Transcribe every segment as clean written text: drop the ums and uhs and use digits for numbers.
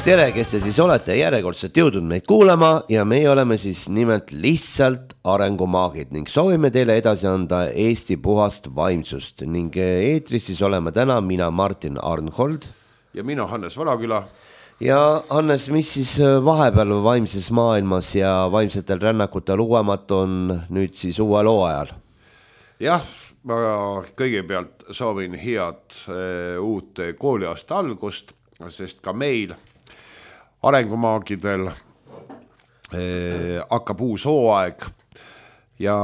Tere, kes te siis olete järjekordselt jõudnud meid kuulama ja meie oleme siis nimelt lihtsalt arengumaagid ning soovime teile edasi anda Eesti puhast vaimsust ning eetris siis oleme täna mina Martin Arnhold ja mina Hannes Valaküla. Ja Hannes, mis siis vahepeal vaimses maailmas ja vaimsetel rännakutel uuemat on nüüd siis uue loo ajal? Jah, ma kõigepealt soovin head uut kooliaasta algust, sest ka meil arengumaagidel hakkab uus hooaeg ja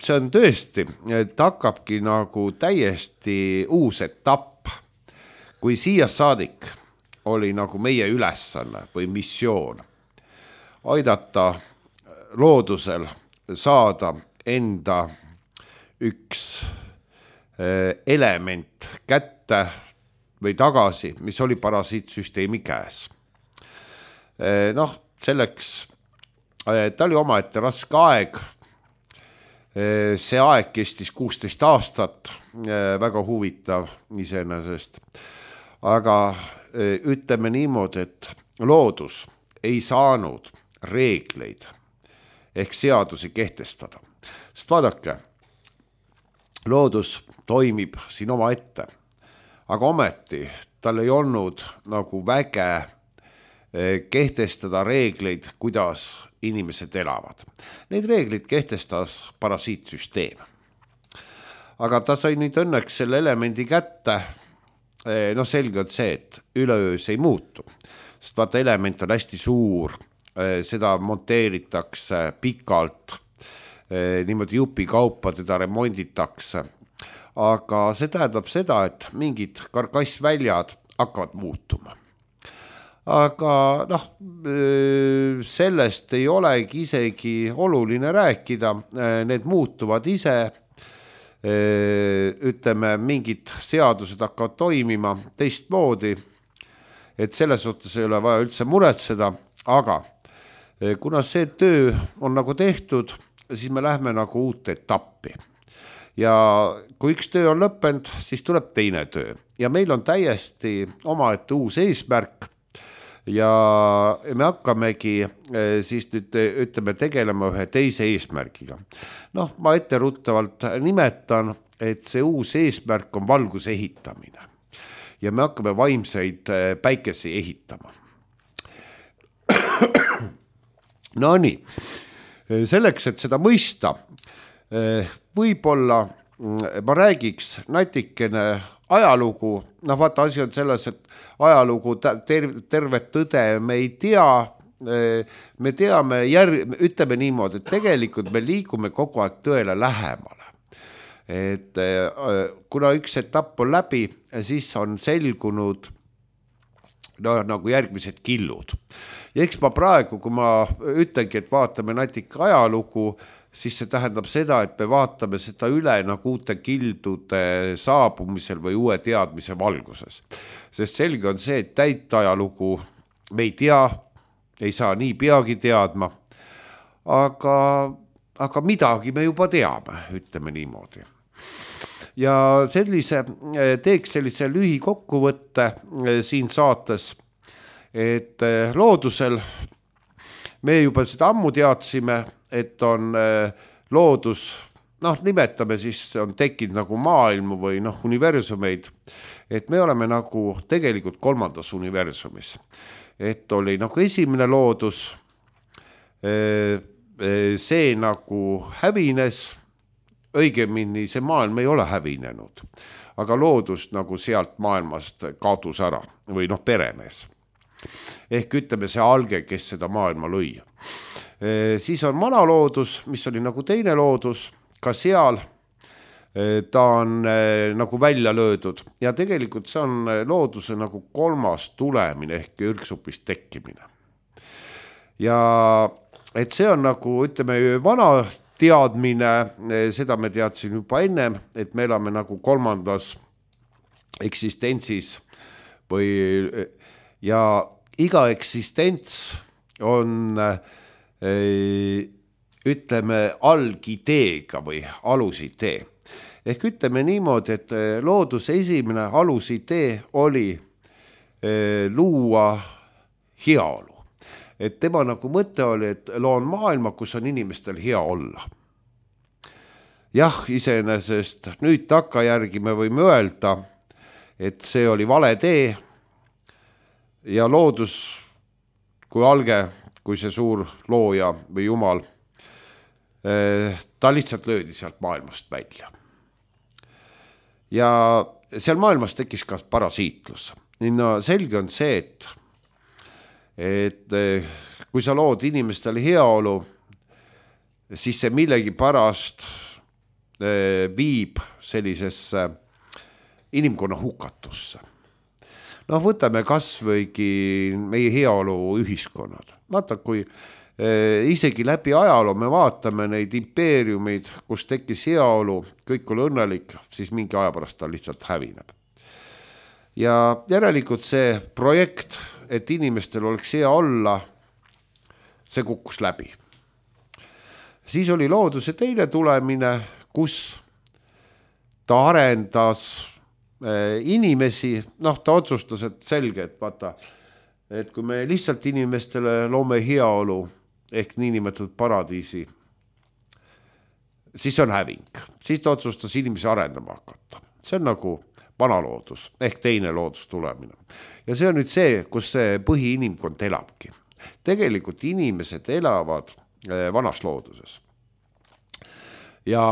see on tõesti, et hakkabki nagu täiesti uus etapp, kui siia saadik oli nagu meie ülesanne või missioon aidata loodusel saada enda üks element kätte või tagasi, mis oli parasiitsüsteemi käes. Noh, selleks ta oli omaette raske aeg. See aeg kestis 16 aastat, väga huvitav iseenesest. Aga ütleme niimoodi, et loodus ei saanud reegleid ehk seadusi kehtestada. Sest vaadake, loodus toimib siin oma ette, aga ometi tal ei olnud nagu väge kehtestada reegleid, kuidas inimesed elavad. Neid reeglid kehtestas parasiitsüsteem. Aga ta sai nüüd õnneks selle elemendi kätte. No selge on see, et üleöö see ei muutu. Sest vaata, element on hästi suur, seda monteeritakse pikalt, niimoodi jupi kaupa teda remonditakse. Aga see tähendab seda, et mingid karkassväljad hakkavad muutuma. Aga noh, sellest ei olegi isegi oluline rääkida, need muutuvad ise, ütleme, mingid seadused hakkavad toimima teistmoodi, et selles suhtes ei ole vaja üldse muretseda, aga kuna see töö on nagu tehtud, siis me lähme nagu uut etappi. Ja kui üks töö on lõppenud, siis tuleb teine töö. Ja meil on täiesti omaette uus eesmärk ja me hakkamegi siis nüüd ütleme tegelema ühe teise eesmärgiga. Noh, ma etteruttavalt nimetan, et see uus eesmärk on valguse ehitamine ja me hakkame vaimseid päikesi ehitama. No nii, selleks, et seda mõista, võib-olla ma räägiks natikene ajalugu, noh vaata asi on selles, et ajalugu tervet tõde me ei tea, me teame, ütleme niimoodi, et tegelikult me liigume kogu aeg tõele lähemale. Et kuna üks etapp on läbi, siis on selgunud nagu järgmised killud. Ja eks ma praegu, kui ma ütlengi, et vaatame natuke ajalugu, siis see tähendab seda, et me vaatame seda üle nagu uute kildude saabumisel või uue teadmise valguses. Sest selge on see, et täit ajalugu me ei tea, ei saa nii peagi teadma, aga midagi me juba teame, ütleme niimoodi. Ja teeks sellise lühikokkuvõtte siin saates, et loodusel me juba seda ammu teadsime, et on loodus, noh nimetame siis, on tekkinud nagu maailmu või universumeid, et me oleme nagu tegelikult kolmandas universumis. Et oli nagu esimene loodus, see nagu hävines, õigemini see maailm ei ole hävinenud, aga loodus nagu sealt maailmast kaotus ära või peremees. Ehk ütleme see alge, kes seda maailma lõi. Siis on vana loodus, mis oli nagu teine loodus, ka seal ta on nagu välja löödud ja tegelikult see on looduse nagu kolmas tulemine ehk ürgsupist tekkimine. Ja et see on nagu, ütleme, vana teadmine, seda me teadsin juba ennem, et me elame nagu kolmandas eksistentsis ja iga eksistents on ütleme algideega või alusidee. Ehk ütleme niimoodi, et looduse esimene alusidee oli luua heaolu. Et tema nagu mõte oli, et loon maailma, kus on inimestel hea olla. Jah, iseenesest nüüd takkajärgi me võime öelda, et see oli vale tee ja loodus kui alge, kui see suur looja või jumal, ta lihtsalt löödi sealt maailmast välja. Ja seal maailmas tekkis ka parasiitlus. No selge on see, et kui sa lood inimestele heaolu, siis see millegi pärast viib sellisesse inimkonna hukatusse. No võtame kas võigi meie heaolu ühiskonnad. Vaata, kui isegi läbi ajaloo me vaatame neid impeeriumid, kus tekkis heaolu, kõik oli õnnelik, siis mingi aja pärast ta lihtsalt hävineb. Ja järelikult see projekt, et inimestel oleks hea olla, see kukkus läbi. Siis oli looduse teine tulemine, kus ta arendas inimesi, ta otsustas, et selge, et vaata, et kui me lihtsalt inimestele loome heaolu ehk niinimetatud paradiisi, siis on häving. Siis ta otsustas inimesi arendama hakata. See on nagu vana loodus ehk teine loodus tulemine. Ja see on nüüd see, kus see põhiinimkond elabki. Tegelikult inimesed elavad vanas looduses. Ja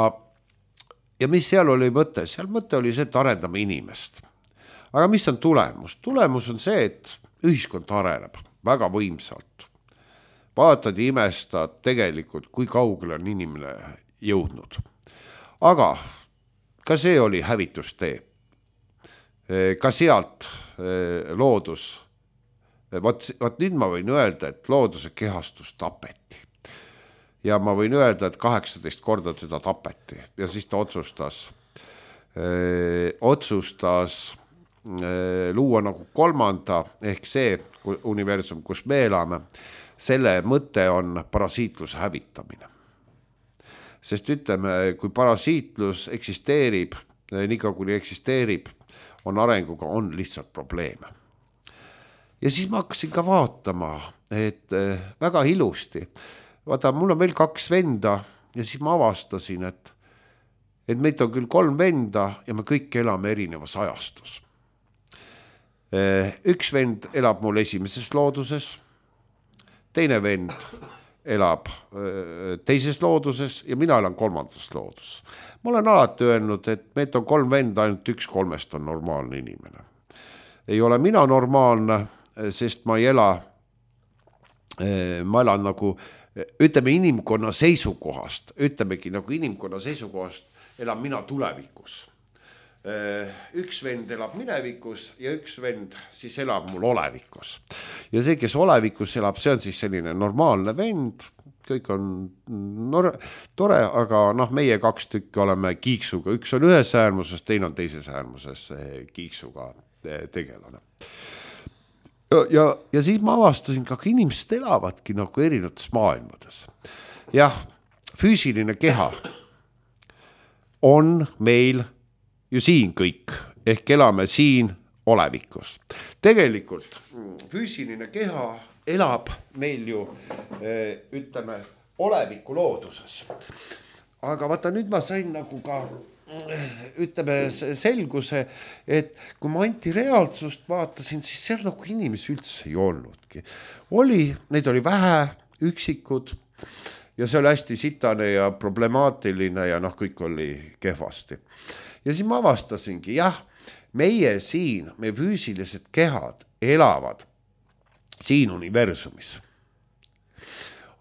mis seal oli mõte? Seal mõte oli see, et arendame inimest. Aga mis on tulemus? Tulemus on see, et ühiskond areneb väga võimsalt. Vaatad ja imestad tegelikult, kui kaugele on inimene jõudnud. Aga ka see oli hävitustee. Ka sealt loodus, vaat nüüd ma võin öelda, et looduse kehastus tapeti. Ja ma võin öelda, et 18 korda seda tapeti ja siis ta otsustas luua nagu kolmanda ehk see universum, kus me elame, selle mõte on parasiitluse hävitamine. Sest ütleme, kui parasiitlus eksisteerib, nii kuni eksisteerib, on arenguga on lihtsalt probleeme. Ja siis ma hakkasin ka vaatama, et väga ilusti, vaata, mul on veel 2 venda ja siis ma avastasin, et meid on küll 3 venda ja me kõik elame erinevas ajastus. Üks vend elab mul esimeses looduses, teine vend elab teises looduses ja mina elan 3. looduses. Ma olen alati öelnud, et meid on 3 venda, ainult 1 3 on normaalne inimene. Ei ole mina normaalne, sest ma elan nagu, ütleme inimkonna seisukohast, elan mina tulevikus. Üks vend elab minevikus ja üks vend siis elab mul olevikus. Ja see, kes olevikus elab, see on siis selline normaalne vend, kõik on tore, aga meie 2 tükki oleme kiiksuga, üks on ühes äärmuses, teine on teises äärmuses kiiksuga tegelane. Ja siis ma avastasin, ka inimesed elavadki nagu erinevates maailmades. Jah, füüsiline keha on meil ju siin kõik, ehk elame siin olevikus. Tegelikult füüsiline keha elab meil ju, ütleme, oleviku looduses. Aga vaata, nüüd ma sain nagu ka, ütleme, selguse, et kui ma antireaalsust vaatasin, siis seal nagu inimesi üldse ei olnudki. Neid oli vähe, üksikud, ja see oli hästi sitane ja problemaatiline ja kõik oli kehvasti. Ja siis ma avastasingi, meie siin, meie füüsilised kehad elavad siin universumis.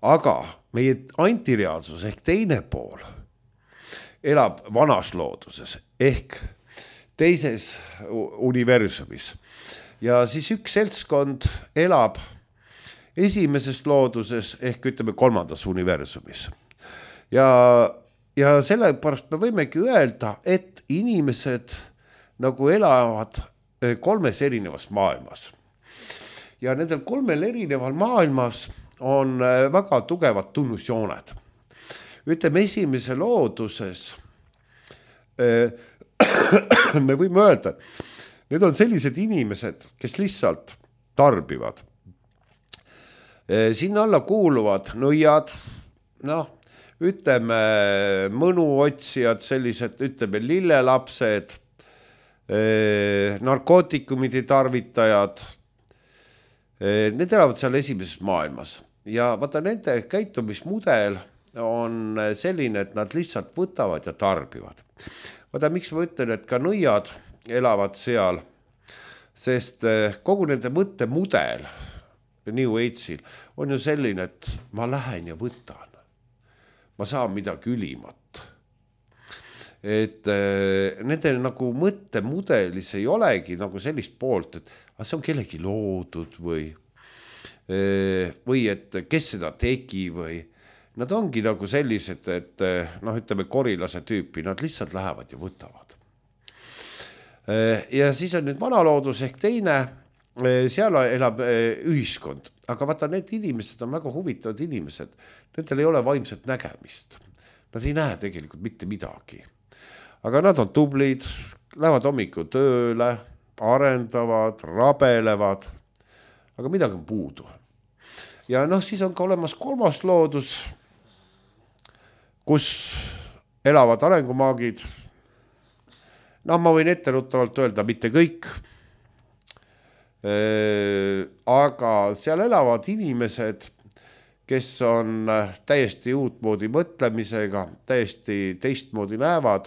Aga meie antireaalsus ehk teine pool elab vanas looduses ehk teises universumis. Ja siis üks seltskond elab esimeses looduses ehk ütleme 3. universumis. Ja sellepärast me võimegi öelda, et inimesed nagu elavad 3 erinevas maailmas. Ja nendel 3 erineval maailmas on väga tugevad tunnusjooned. Ütleme, esimese looduses me võime öelda, need on sellised inimesed, kes lihtsalt tarbivad. Sinna alla kuuluvad nõiad, noh, ütleme mõnuotsijad, sellised, ütleme lillelapsed, narkootikumide tarvitajad, need elavad seal esimeses maailmas ja vaata nende käitumismudel on selline, et nad lihtsalt võtavad ja tarbivad. Vaata, miks ma ütlen, et ka nõiad elavad seal, sest kogu nende mõttemudel New Age'il on ju selline, et ma lähen ja võtan. Ma saan midagi ülimat. Et nende nagu mõttemudelis ei olegi nagu sellist poolt, et see on kellegi loodud või et kes seda tegi või nad ongi nagu sellised, et noh, ütleme korilase tüüpi, nad lihtsalt lähevad ja võtavad. Ja siis on nüüd vanaloodus ehk teine, seal elab ühiskond, aga vaata need inimesed on väga huvitavad inimesed, nendel ei ole vaimset nägemist, nad ei näe tegelikult mitte midagi, aga nad on tublid, lähevad hommikul tööle, arendavad, rabelevad, aga midagi on puudu. Ja noh, siis on ka olemas kolmas loodus, kus elavad arengumaagid. No ma võin etteruttavalt öelda, mitte kõik, aga seal elavad inimesed, kes on täiesti uutmoodi mõtlemisega, täiesti teistmoodi näevad.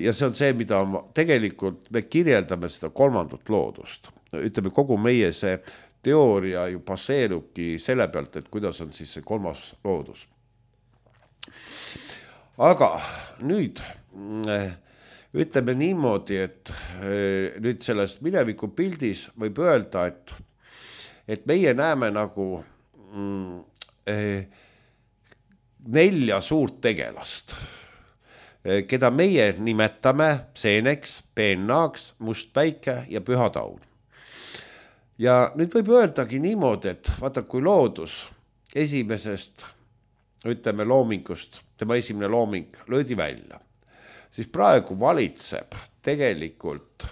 Ja see on see, mida tegelikult me kirjeldame seda kolmandat loodust. Ütleme, kogu meie see teooria ju baseerubki selle pealt, et kuidas on siis see kolmas loodus. Aga nüüd ütleme niimoodi, et nüüd sellest mineviku pildis võib öelda, et meie näeme nagu 4 suurt tegelast, keda meie nimetame seeneks, peennaaks, must päike ja püha taun. Ja nüüd võib öeldagi niimoodi, et vaata, kui loodus esimesest, ütleme loomingust, tema esimene looming löödi välja, siis praegu valitseb tegelikult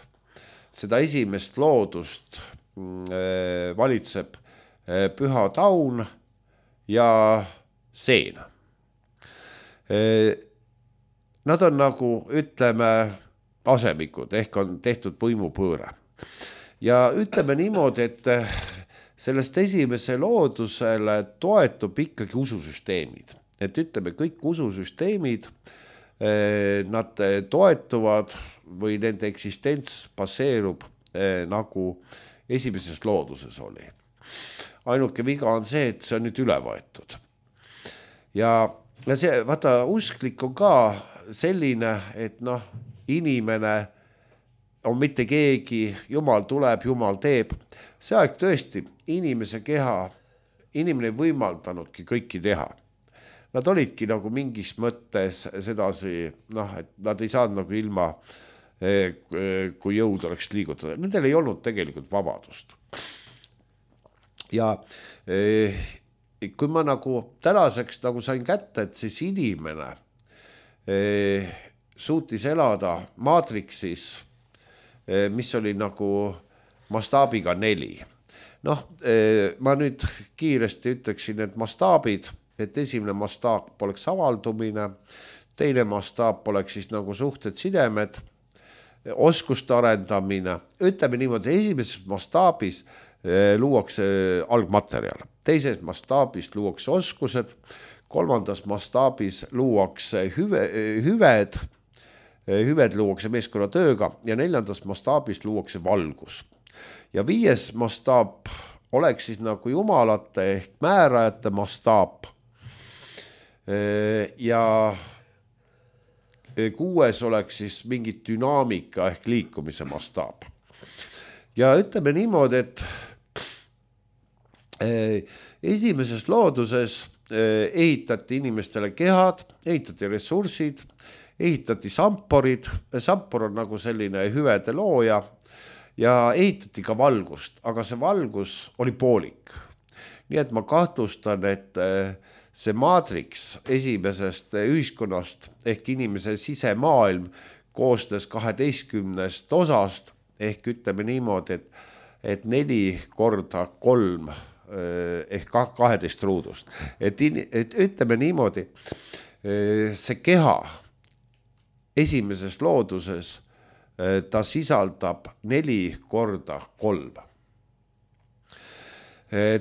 seda esimest loodust, valitseb püha taun ja seen. Nad on nagu, ütleme, asemikud, ehk on tehtud võimupõõre. Ja ütleme niimoodi, et sellest esimese loodusele toetub ikkagi ususüsteemid. Et ütleme, kõik ususüsteemid, nad toetuvad või nende eksistents baseerub nagu esimeses looduses oli. Ainuke viga on see, et see on nüüd üle võetud. Ja see, vaata, usklik on ka selline, et noh, inimene on mitte keegi, Jumal tuleb, Jumal teeb. See aeg tõesti, inimese keha, inimene ei võimaldanudki kõiki teha. Nad olidki nagu mingis mõttes sedasi, noh, et nad ei saanud nagu ilma, kui jõud oleks liigutada. Nendel ei olnud tegelikult vabadust. Ja kui ma nagu tänaseks nagu sain kätte, et siis inimene suutis elada maatriksis, mis oli nagu mastaabiga 4. Noh, ma nüüd kiiresti ütleksin, et mastaabid, et esimene mastaab oleks avaldumine, teine mastaab oleks siis nagu suhted, sidemed, oskuste arendamine. Ütleme niimoodi, esimeses mastaabis luuakse algmaterjal, teises mastaabis luuakse oskused, kolmandas mastaabis luuakse hüved luuakse meeskonnatööga ja 4. mastaabis luuakse valgus. Ja 5. mastaab oleks siis nagu jumalate ehk määrajate mastaab. Ja 6. oleks siis mingi dünaamika ehk liikumise mastaab. Ja ütleme niimoodi, et esimeses looduses ehitati inimestele kehad, ehitati ressursid, ehitati samporid, sampor on nagu selline hüvede looja ja ehitati ka valgust, aga see valgus oli poolik. Nii et ma kahtlustan, et see maatriks esimesest ühiskonnast ehk inimese sisemaailm koosnes 12 osast ehk ütleme niimoodi, et 4 korda 3 ehk 12 ruudust. Et ütleme niimoodi, see keha esimeses looduses ta sisaldab 4x3.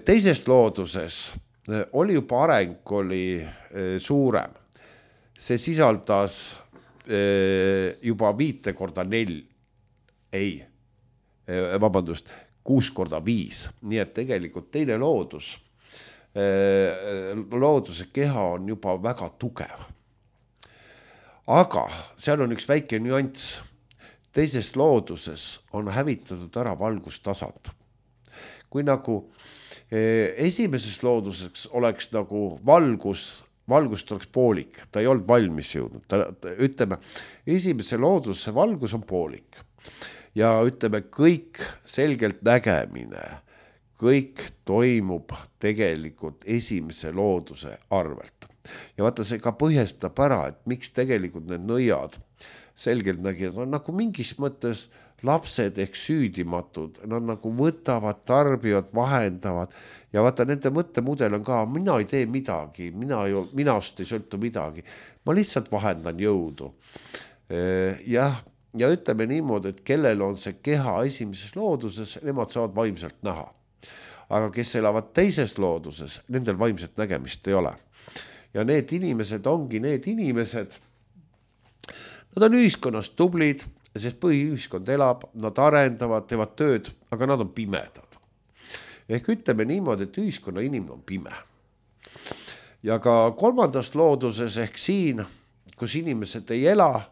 Teises looduses oli juba areng oli suurem. See sisaldas juba 5x4, 6x5, nii et tegelikult teine looduse keha on juba väga tugev. Aga seal on üks väike nüanss. Teises looduses on hävitatud ära valgustasand. Kui nagu esimeses looduses oleks nagu valgust oleks poolik, ta ei olnud valmis jõudnud. Ütleme, esimese looduse valgus on poolik ja ütleme, kõik selgelt nägemine, kõik toimub tegelikult esimese looduse arvelt. Ja vaata, see ka põhjastab ära, et miks tegelikult need nõiad selgelt nägid, on nagu mingis mõttes lapsed ehk süüdimatud, nad nagu võtavad, tarbivad, vahendavad ja vaata, nende mõttemudel on ka, mina ei tee midagi, minast ei sõltu midagi, ma lihtsalt vahendan jõudu. Ja ütleme niimoodi, et kellel on see keha esimeses looduses, nemad saavad vaimselt näha. Aga kes elavad teises looduses, nendel vaimset nägemist ei ole. Ja need inimesed ongi need inimesed, nad on ühiskonnas tublid, sest põhiühiskond elab, nad arendavad, teevad tööd, aga nad on pimedad. Ehk ütleme niimoodi, et ühiskonna inimene on pime. Ja ka kolmandas looduses ehk siin, kus inimesed ei ela,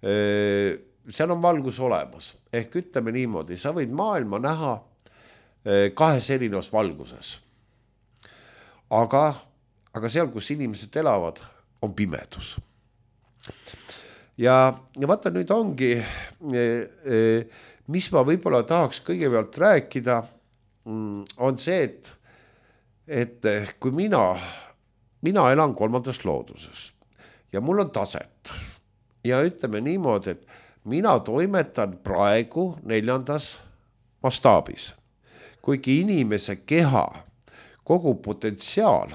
seal on valgus olemas. Ehk ütleme niimoodi, sa võid maailma näha kahes erinevas valguses. Aga seal, kus inimesed elavad, on pimedus. Ja vaata nüüd ongi, mis ma võib-olla tahaks kõigepealt rääkida, on see, et kui mina elan kolmandas looduses ja mul on taset ja ütleme niimoodi, et mina toimetan praegu 4. mastaabis, kuigi inimese keha, kogu potentsiaal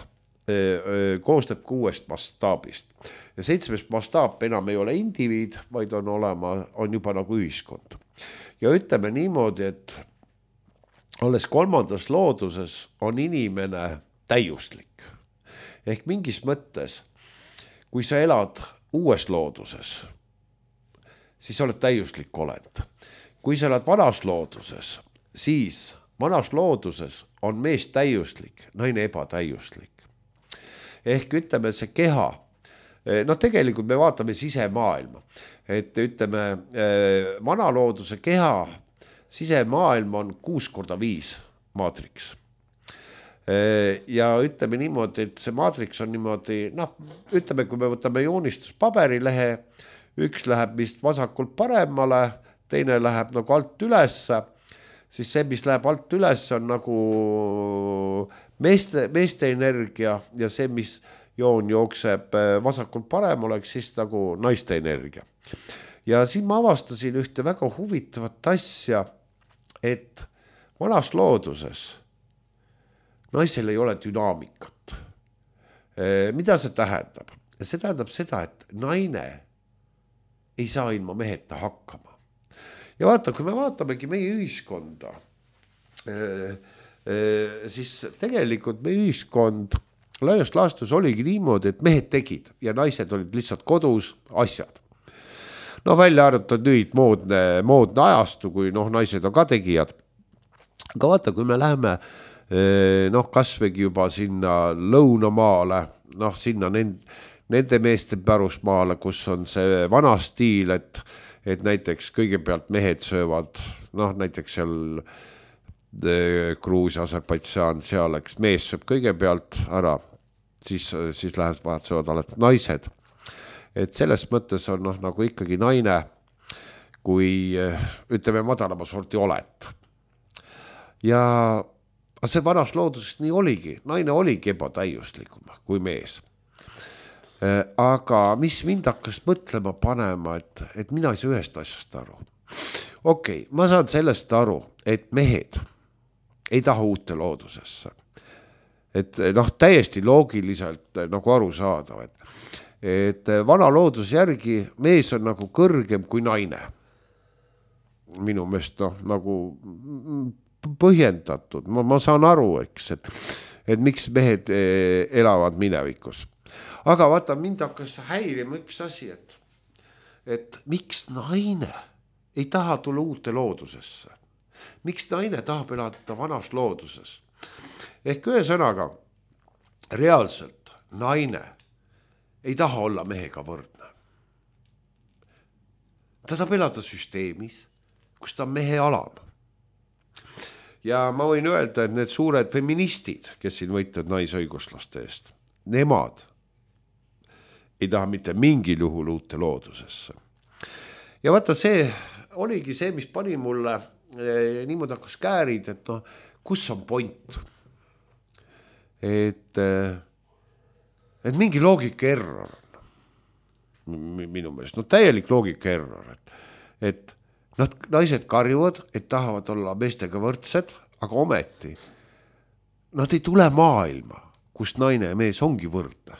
koostab 6 mastaabist. Ja 7. mastaap enam ei ole indiviid, vaid on juba nagu ühiskond. Ja ütleme niimoodi, et olles 3. looduses on inimene täiuslik. Ehk mingis mõttes, kui sa elad uues looduses, siis oled täiuslik olend. Kui sa elad vanas looduses, siis vanas looduses on mees täiuslik, naine ebatäiuslik. Ehk ütleme, see keha, tegelikult me vaatame sisemaailma, et ütleme, vana looduse keha, sisemaailm on 6x5 maatriks. Ja ütleme niimoodi, et see maatriks on niimoodi, ütleme, kui me võtame joonistuspaberilehe, üks läheb vist vasakult paremale, teine läheb nagu alt ülesse, siis see, mis läheb alt üles, on nagu meeste energia ja see, mis joon jookseb vasakult parem, oleks siis nagu naiste energia. Ja siin ma avastasin ühte väga huvitavat asja, et vanas looduses naisel ei ole dünaamikat. Mida see tähendab? See tähendab seda, et naine ei saa ilma meheta hakkama. Ja vaata, kui me vaatamegi meie ühiskonda, siis tegelikult meie ühiskond laiast laastus oligi niimoodi, et mehed tegid ja naised olid lihtsalt kodus asjad. Välja arvatud nüüd moodne ajastu, kui naised on ka tegijad. Aga vaata, kui me läheme kasvõigi juba sinna lõunamaale, sinna nende meeste pärusmaale, kus on see vana stiil, et näiteks kõigepealt mehed söövad, näiteks seal Gruusia, Aserbaidžaan, seal, eks mees sööb kõigepealt ära, siis läheb vahet söövad alati naised. Et selles mõttes on nagu ikkagi naine, kui ütleme madalama sorti oled. Ja see vanas looduses nii oligi, naine oligi ebatäiuslikum kui mees. Aga mis mind hakkas mõtlema panema, et mina ei saa ühest asjast aru. Okei, ma saan sellest aru, et mehed ei taha uute loodusesse. Et noh, täiesti loogiliselt nagu aru saada, et vana looduse järgi mees on nagu kõrgem kui naine. Minu meelest nagu põhjendatud, ma saan aru, eks, et miks mehed elavad minevikus. Aga vaata, mind hakkas häirima üks asi, et miks naine ei taha tulla uute loodusesse. Miks naine tahab elada vanas looduses? Ehk ühesõnaga, reaalselt naine ei taha olla mehega võrdne. Ta tahab elada süsteemis, kus ta on mehe alam. Ja ma võin öelda, et need suured feministid, kes siin võitlevad naisõiguslaste eest, nemad ei taha mitte mingil juhul uute loodusesse. Ja vaata, see oligi see, mis pani mulle niimoodi hakkas käärid, et kus on point? Et mingi loogika error on minu meelest, täielik loogika error, et naised karjuvad, et tahavad olla meestega võrdsed, aga ometi nad ei tule maailma, kus naine ja mees ongi võrdne.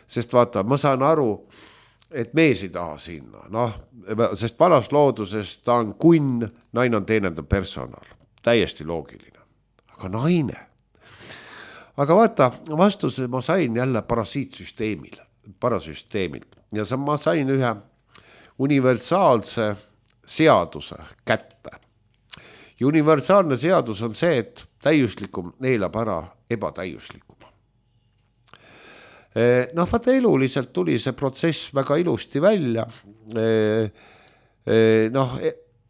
Sest vaata, ma saan aru, et mees ei taha sinna, sest vanas looduses ta on kunn, naine on teenendav personal, täiesti loogiline. Aga naine. Aga vaata, vastuse ma sain jälle parasüsteemilt ja ma sain ühe universaalse seaduse kätte. Ja universaalne seadus on see, et täiuslikum neelab ära ebatäiuslikuma. Vaata, eluliselt tuli see protsess väga ilusti välja.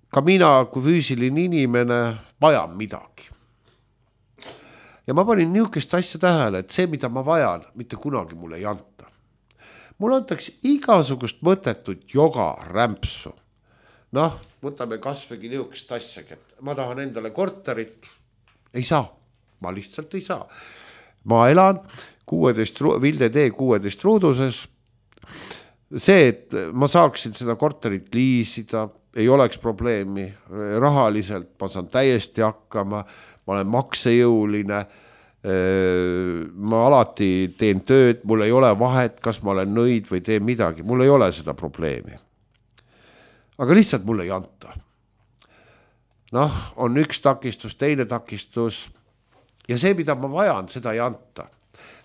Ka mina kui füüsiline inimene vajan midagi. Ja ma panin niisugust asja tähele, et see, mida ma vajan, mitte kunagi mulle ei anta. Mulle antakse igasugust mõttetut joga rämpsu. Võtame kasvõgi niisugust asja, et ma tahan endale korterit. Ei saa, ma lihtsalt ei saa. Ma elan Vilde tee 16 ruuduses. See, et ma saaksin seda korterit liisida, ei oleks probleemi. Rahaliselt ma saan täiesti hakkama, ma olen maksejõuline, ma alati teen tööd, mul ei ole vahet, kas ma olen nõid või teen midagi, mul ei ole seda probleemi. Aga lihtsalt mul ei anta. On üks takistus, teine takistus ja see, mida ma vajan, seda ei anta.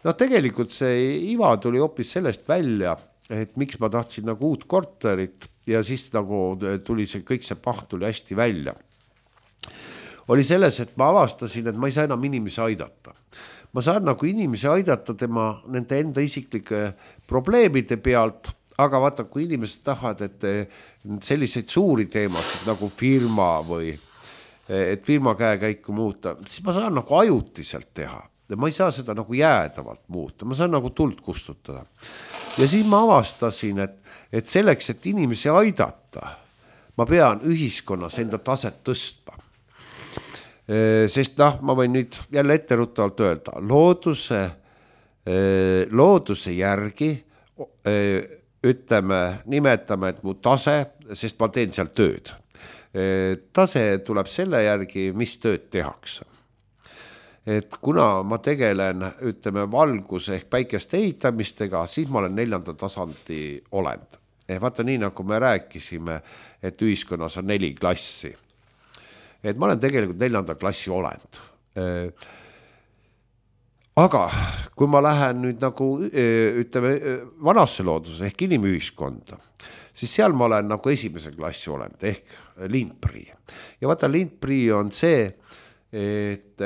Tegelikult see iva tuli hoopis sellest välja, et miks ma tahtsin nagu uut korterit ja siis nagu tuli see kõik see paht tuli hästi välja. Oli selles, et ma avastasin, et ma ei saa enam inimesi aidata. Ma saan nagu inimesi aidata tema nende enda isiklike probleemide pealt, aga vaata, kui inimesed tahavad, et selliseid suuri teemasid nagu firma või et firma käekäiku muuta, siis ma saan nagu ajutiselt teha. Ma ei saa seda nagu jäädavalt muuta, ma saan nagu tuld kustutada. Ja siis ma avastasin, et selleks, et inimesi aidata, ma pean ühiskonnas enda taset tõstma. Sest ma võin nüüd jälle etteruttavalt öelda, looduse järgi nimetame, et mu tase, sest ma teen seal tööd. Tase tuleb selle järgi, mis tööd tehakse. Et kuna ma tegelen, valguse ehk päikeste ehitamistega, siis ma olen 4. tasandi olend. Vaata nii, nagu me rääkisime, et ühiskonnas on 4 klassi. Et ma olen tegelikult 4. klassi olend. Aga kui ma lähen nüüd nagu, vanasse looduse ehk inimühiskonda, siis seal ma olen nagu 1. klassi olend ehk lindprii. Ja vaata, lindprii on see, et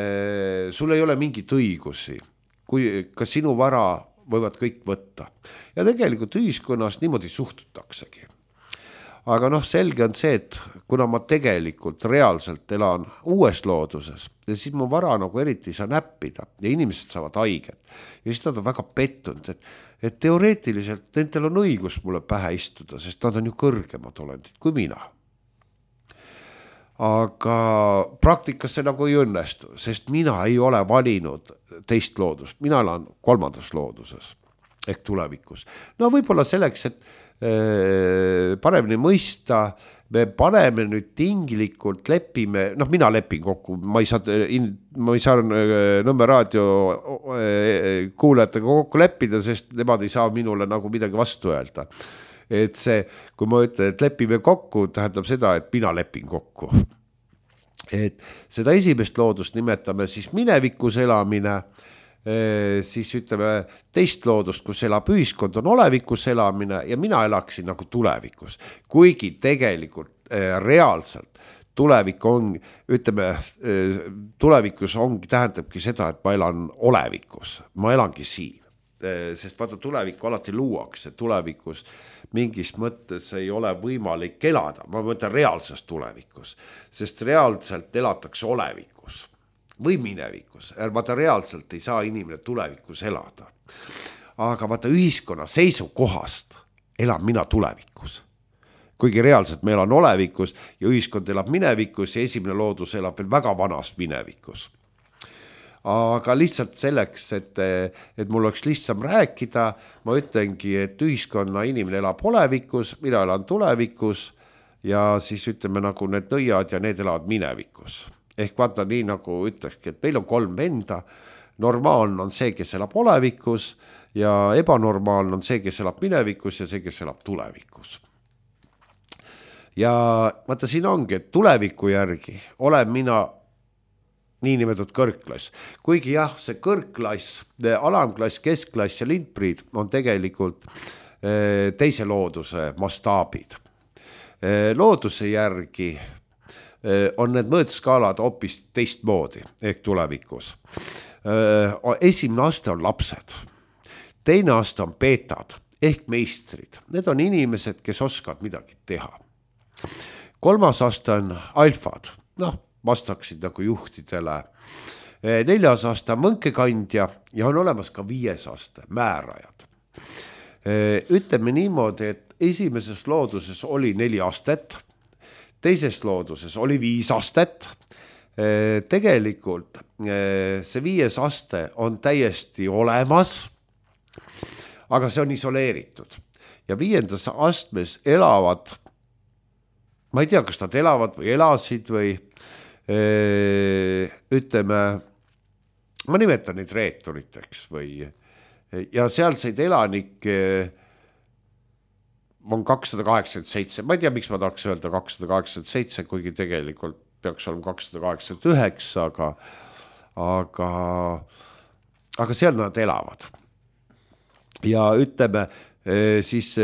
sul ei ole mingit õigusi, ka sinu vara võivad kõik võtta. Ja tegelikult ühiskonnas niimoodi suhtutaksegi. Aga selge on see, et kuna ma tegelikult reaalselt elan uues looduses, ja siis mu vara nagu eriti ei saa näppida ja inimesed saavad haiget. Ja siis nad on väga pettunud, et teoreetiliselt nendel on õigus mulle pähe istuda, sest nad on ju kõrgemad olendid kui mina. Aga praktikas see nagu ei õnnestu, sest mina ei ole valinud teist loodust, mina elan 3. looduses ehk tulevikus. Võib-olla selleks, et paremini mõista, me paneme nüüd tinglikult, lepime, noh, mina lepin kokku, ma ei saa Nõmme raadio kuulajatega kokku leppida, sest nemad ei saa minule nagu midagi vastu öelda. Et see, kui ma ütlen, et lepime kokku, tähendab seda, et mina lepin kokku. Et seda esimest loodust nimetame siis minevikus elamine, siis ütleme teist loodust, kus elab ühiskond, on olevikus elamine ja mina elaksin nagu tulevikus. Kuigi tegelikult reaalselt tulevik on, ütleme, tulevikus ongi, tähendabki seda, et ma elan olevikus, ma elangi siin. Sest vaata, tulevikku alati luuakse, tulevikus mingis mõttes ei ole võimalik elada, ma mõtlen reaalses tulevikus, sest reaalselt elatakse olevikus või minevikus, vaata reaalselt ei saa inimene tulevikus elada. Aga vaata ühiskonna seisukohast elan mina tulevikus. Kuigi reaalselt me elan olevikus ja ühiskond elab minevikus ja esimene loodus elab veel väga vanas minevikus. Aga lihtsalt selleks, et mul oleks lihtsam rääkida, ma ütlengi, et ühiskonna inimene elab olevikus, mina elan tulevikus ja siis ütleme nagu need nõiad ja need elavad minevikus. Ehk vaata nii nagu ütlekski, et meil on 3 venda, normaalne on see, kes elab olevikus ja ebanormaalne on see, kes elab minevikus ja see, kes elab tulevikus. Ja vaata siin ongi, et tuleviku järgi olen mina niinimetatud kõrgklass. Kuigi jah, see kõrgklass, alamklass, keskklass ja lindpriid on tegelikult teise looduse mastaabid. Looduse järgi on need mõõtskaalad hoopis teistmoodi ehk tulevikus. Esimene aste on lapsed, teine aste on beetad ehk meistrid. Need on inimesed, kes oskavad midagi teha. 3. aste on alfad, noh, vastaksid nagu juhtidele. 4. aste on mõnkekandja ja on olemas ka 5. aste, määrajad. Ütleme niimoodi, et esimeses looduses oli 4 astet, teises looduses oli 5 astet. Tegelikult see 5. aste on täiesti olemas, aga see on isoleeritud. Ja 5. astmes elavad, ma ei tea, kas nad elavad või elasid või ütleme, ma nimetan neid reeturiteks või, ja sealseid elanikke on 287, ma ei tea, miks ma tahaks öelda 287, kuigi tegelikult peaks olema 289, aga seal nad elavad. Ja ütleme, siis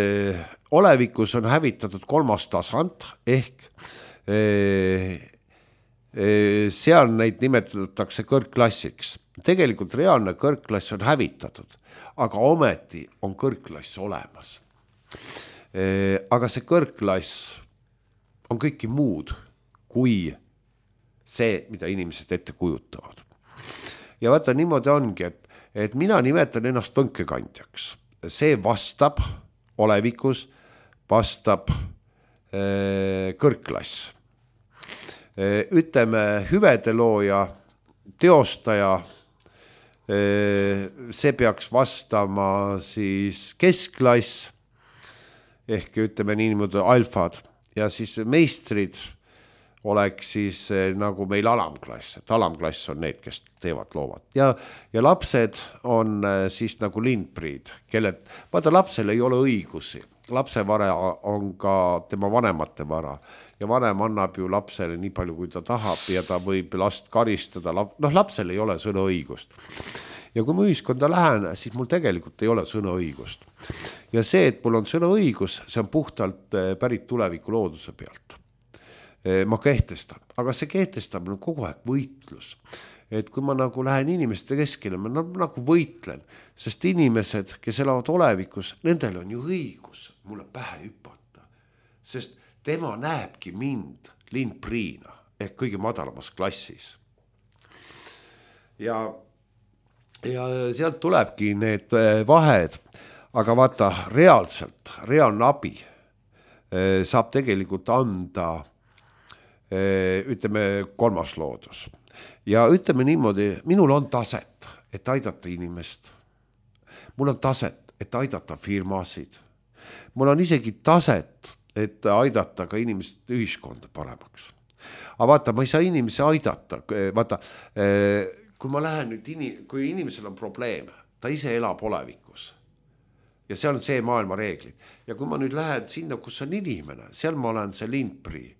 olevikus on hävitatud 3. tasand, ehk seal neid nimetatakse kõrgklassiks. Tegelikult reaalne kõrgklass on hävitatud, aga ometi on kõrgklass olemas. Aga see kõrgklass on kõiki muud kui see, mida inimesed ette kujutavad. Ja vaata, niimoodi ongi, et mina nimetan ennast võnkekandjaks. See vastab olevikus, vastab kõrgklass. Ütleme, hüvede looja, teostaja, see peaks vastama siis keskklass, ehk ütleme niimoodi alfad, ja siis meistrid oleks siis nagu meil alamklass, et alamklass on need, kes teevad loovad. Ja lapsed on siis nagu lindpriid, kellel, vaata, lapsel ei ole õigusi. Lapse vara on ka tema vanemate vara ja vanem annab ju lapsele nii palju, kui ta tahab ja ta võib last karistada. Noh, lapsel ei ole sõnaõigust. Ja kui ma ühiskonda lähen, siis mul tegelikult ei ole sõnaõigust. Ja see, et mul on sõnaõigus, see on puhtalt pärit tuleviku looduse pealt. Ma kehtestan, aga see kehtestamine on kogu aeg võitlus. Et kui ma nagu lähen inimeste keskele, ma nagu võitlen, sest inimesed, kes elavad olevikus, nendel on ju õigus mulle pähe hüpata, sest tema näebki mind lindpriina ehk kõige madalamas klassis. Ja sealt tulebki need vahed, aga vaata, reaalne abi saab tegelikult anda, ütleme, 3. loodus. Ja ütleme niimoodi, minul on taset, et aidata inimest. Mul on taset, et aidata firmasid. Mul on isegi taset, et aidata ka inimest ühiskonda paremaks. Aga vaata, ma ei saa inimesi aidata, vaata, kui ma lähen nüüd, kui inimesel on probleem, ta ise elab olevikus ja seal on see maailma reeglid ja kui ma nüüd lähen sinna, kus on inimene, seal ma olen see lindprii,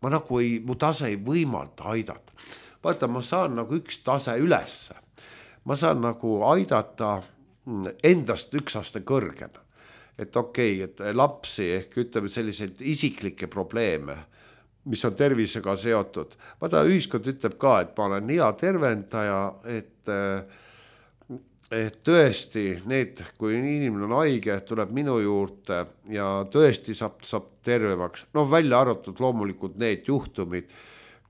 ma nagu mu tase ei võimalda aidata. Vaata, ma saan nagu üks tase ülesse, ma saan nagu aidata endast üks aste kõrgem, et okei, et lapsi ehk ütleme selliseid isiklikke probleeme, mis on tervisega seotud. Vaata, ühiskond ütleb ka, et ma olen hea tervendaja, et tõesti need, kui inimene on haige, tuleb minu juurde ja tõesti saab tervemaks. No välja arvatud loomulikult need juhtumid,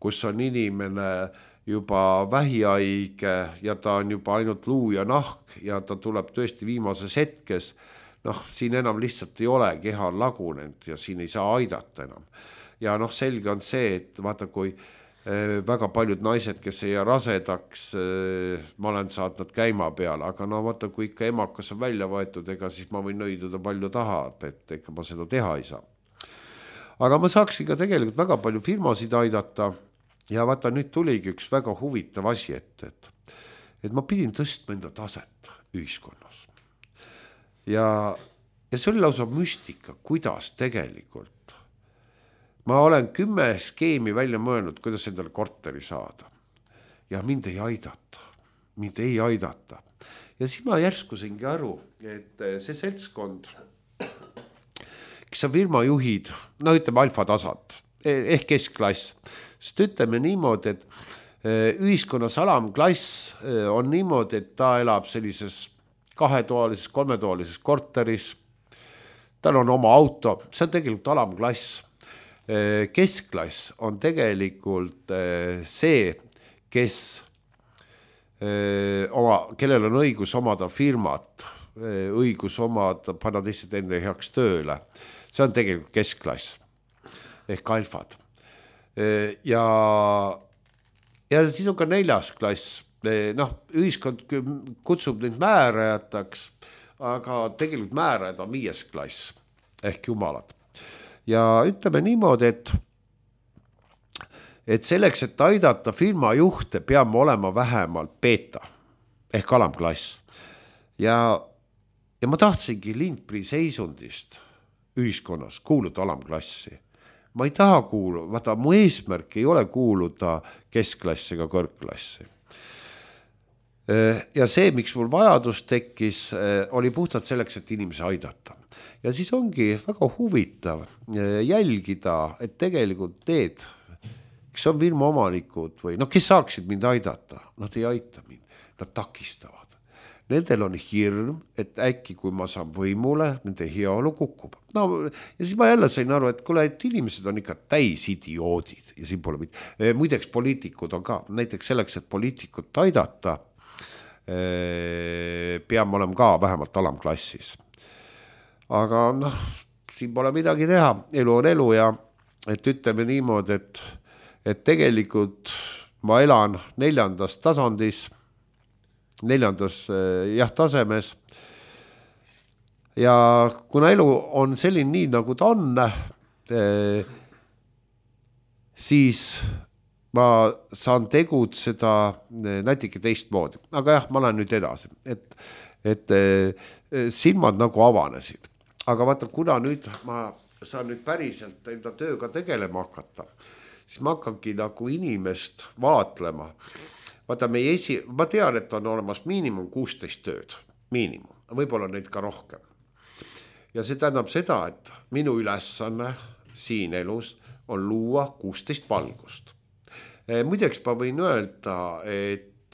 kus on inimene juba vähihaige ja ta on juba ainult luu ja nahk ja ta tuleb tõesti viimases hetkes. Siin enam lihtsalt ei ole, keha on lagunenud ja siin ei saa aidata enam. Ja selge on see, et vaata, kui väga paljud naised, kes ei rasedaks, ma olen saatnud käima peale, aga vaata, kui ikka emakas on välja võetud, ega siis ma võin nõiduda palju tahab, et ega ma seda teha ei saa. Aga ma saaksin ka tegelikult väga palju firmasid aidata ja vaata, nüüd tuligi üks väga huvitav asi, et ma pidin tõstma enda taset ühiskonnas. Ja see oli lausa müstika, kuidas tegelikult. Ma olen 10 skeemi välja mõelnud, kuidas endale korteri saada. Ja mind ei aidata. Ja siis ma järsku saingi aru, et see seltskond, kes on firmajuhid, ütleme alfa tasand, ehk keskklass, sest ütleme niimoodi, et ühiskonnas alamklass on niimoodi, et ta elab sellises 2-toalises, 3-toalises korteris, tal on oma auto, see on tegelikult alamklass. Keskklass on tegelikult see, kellel on õigus omada firmat, õigus omada, panna teised enda heaks tööle. See on tegelikult keskklass ehk alfad. Ja siis on ka 4. klass. Ühiskond kutsub neid määrajataks, aga tegelikult määrajad on 5. klass ehk jumalad. Ja ütleme niimoodi, et selleks, et aidata firma juhte, peame olema vähemalt beeta ehk alamklass. Ja ma tahtsingi lindprii seisundist ühiskonnas kuuluda alamklassi. Ma ei taha vaata, mu eesmärk ei ole kuuluda keskklassi ega kõrgklassi. Ja see, miks mul vajadus tekkis, oli puhtalt selleks, et inimesi aidata. Ja siis ongi väga huvitav jälgida, et tegelikult need, kes on firma omanikud või kes saaksid mind aidata, nad ei aita mind, nad takistavad. Nendel on hirm, et äkki kui ma saan võimule, nende heaolu kukub. Ja siis ma jälle sain aru, et kuule, et inimesed on ikka täis idioodid ja siin pole muideks poliitikud on ka, näiteks selleks, et poliitikut aidata, peame olema ka vähemalt alamklassis. Aga siin pole midagi teha, elu on elu ja et ütleme niimoodi, et tegelikult ma elan 4. tasandis, 4. tasemes ja kuna elu on selline nii, nagu ta on, siis ma saan tegutseda natuke teistmoodi. Aga jah, ma lähen nüüd edasi, et silmad nagu avanesid. Aga vaata, kuna nüüd ma saan nüüd päriselt enda tööga tegelema hakata, siis ma hakkangi nagu inimest vaatlema. Vaata, ma tean, et on olemas miinimum 16 tööd, miinimum, võib-olla neid ka rohkem. Ja see tähendab seda, et minu ülesanne siin elus on luua 16 valgust. Muideks ma võin öelda, et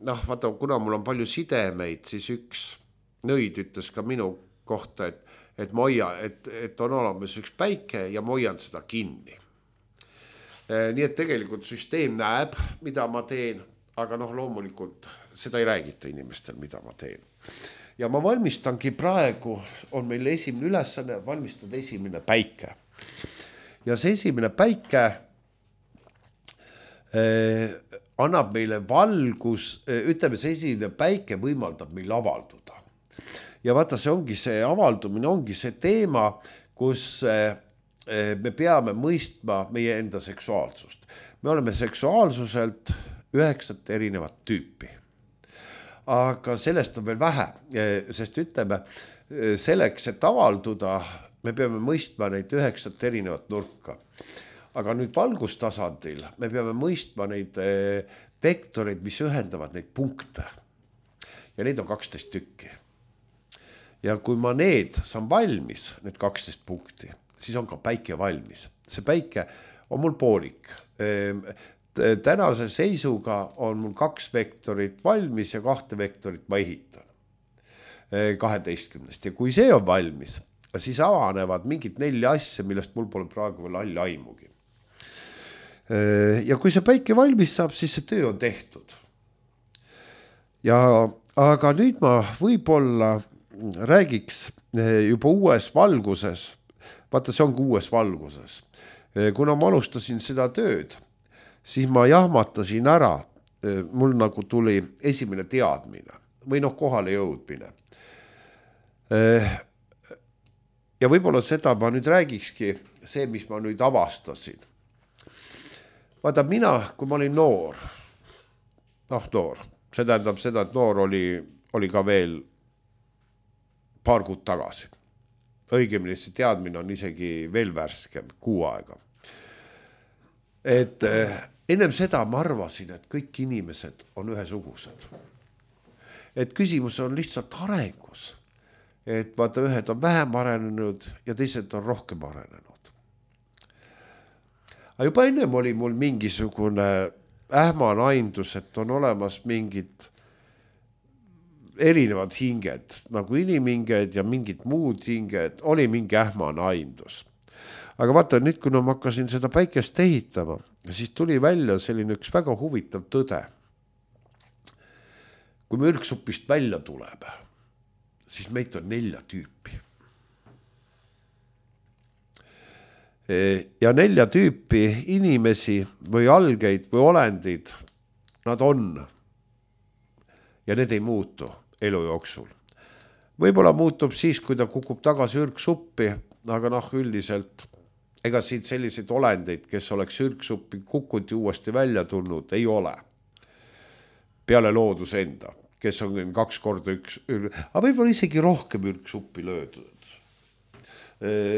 vaata, kuna mul on palju sidemeid, siis üks nõid ütles ka minu kohta, et on olemas üks päike ja ma hoian seda kinni. Nii et tegelikult süsteem näeb, mida ma teen, aga loomulikult seda ei räägita inimestel, mida ma teen. Ja ma valmistangi praegu, on meil esimene ülesanne, valmistada esimene päike. Ja see esimene päike annab meile valgus, ütleme, see esimene päike võimaldab meil avalduda. Ja vaata, see avaldumine ongi see teema, kus me peame mõistma meie enda seksuaalsust. Me oleme seksuaalsuselt 9 erinevat tüüpi. Aga sellest on veel vähe, sest ütleme, selleks, et avalduda, me peame mõistma neid 9 erinevat nurka. Aga nüüd valgustasandil me peame mõistma neid vektoreid, mis ühendavad neid punkte. Ja neid on 12 tükki. Ja kui ma need saan valmis, need 12 punkti, siis on ka päike valmis. See päike on mul poolik. Tänase seisuga on mul 2 vektorit valmis ja 2 vektorit ma ehitan 12. Ja kui see on valmis, siis avanevad mingid 4 asja, millest mul pole praegu veel halli aimugi. Ja kui see päike valmis saab, siis see töö on tehtud. Aga nüüd ma võib-olla räägiks juba uues valguses. Vaata, see ongi uues valguses. Kuna ma alustasin seda tööd, siis ma jahmatasin ära. Mul nagu tuli esimene teadmine või kohale jõudmine. Ja võib-olla seda ma nüüd räägikski, see, mis ma nüüd avastasin. Vaata, mina, kui ma olin noor, see tähendab seda, et noor oli ka veel paar kuud tagasi. Õigemini see teadmine on isegi veel värskem, 6 aega. Et ennem seda ma arvasin, et kõik inimesed on ühesugused. Et küsimus on lihtsalt arengus. Et vaata, ühed on vähem arenenud ja teised on rohkem arenenud. Aga juba ennem oli mul mingisugune ähmane aimdus, et on olemas mingid erinevad hinged, nagu inimhinged ja mingid muud hinged, oli mingi ähmane aimdus. Aga vaata, nüüd kui ma hakkasin seda päikest ehitama, siis tuli välja selline üks väga huvitav tõde. Kui me ürgsupist välja tuleme, siis meid on 4 tüüpi. Ja 4 tüüpi inimesi või algeid või olendid, nad on. Ja need ei muutu elu jooksul. Võib-olla muutub siis, kui ta kukub tagasi ürgsuppi, aga üldiselt ega siit selliseid olendeid, kes oleks ürgsuppi kukkunud ja uuesti välja tulnud, ei ole. Peale loodus enda, kes on 2 korda aga võib-olla isegi rohkem ürgsuppi löödud.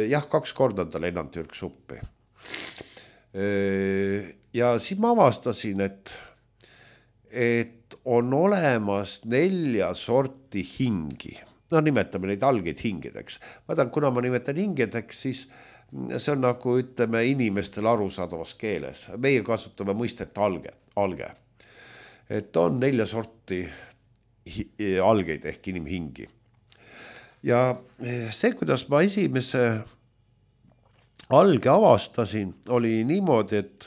Jah, 2 korda ta lennanud ürgsuppi. Ja siis ma avastasin, et on olemas 4 sorti hingi. Nimetame neid algeid hingedeks. Vaatan, kuna ma nimetan hingedeks, siis see on nagu, ütleme, inimestele arusaadavas keeles. Meie kasutame mõistet alge. Et on 4 sorti algeid ehk inimhingi. Ja see, kuidas ma esimese alge avastasin, oli niimoodi, et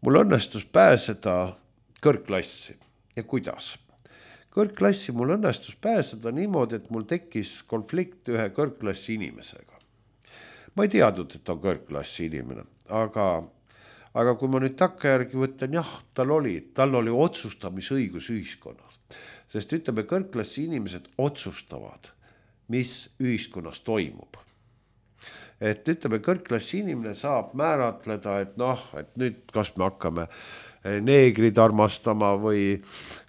mul õnnestus pääseda kõrgklassi. Ja kuidas? Kõrgklassi mul õnnestus pääseda niimoodi, et mul tekkis konflikt ühe kõrgklassi inimesega. Ma ei teadnud, et on kõrgklassi inimene, aga kui ma nüüd takkajärgi võtan, jah, tal oli otsustamisõigus ühiskonnas. Sest ütleme, kõrgklassi inimesed otsustavad, mis ühiskonnas toimub. Et ütleme, kõrgklassi inimene saab määratleda, et nüüd kas me hakkame neegrid armastama või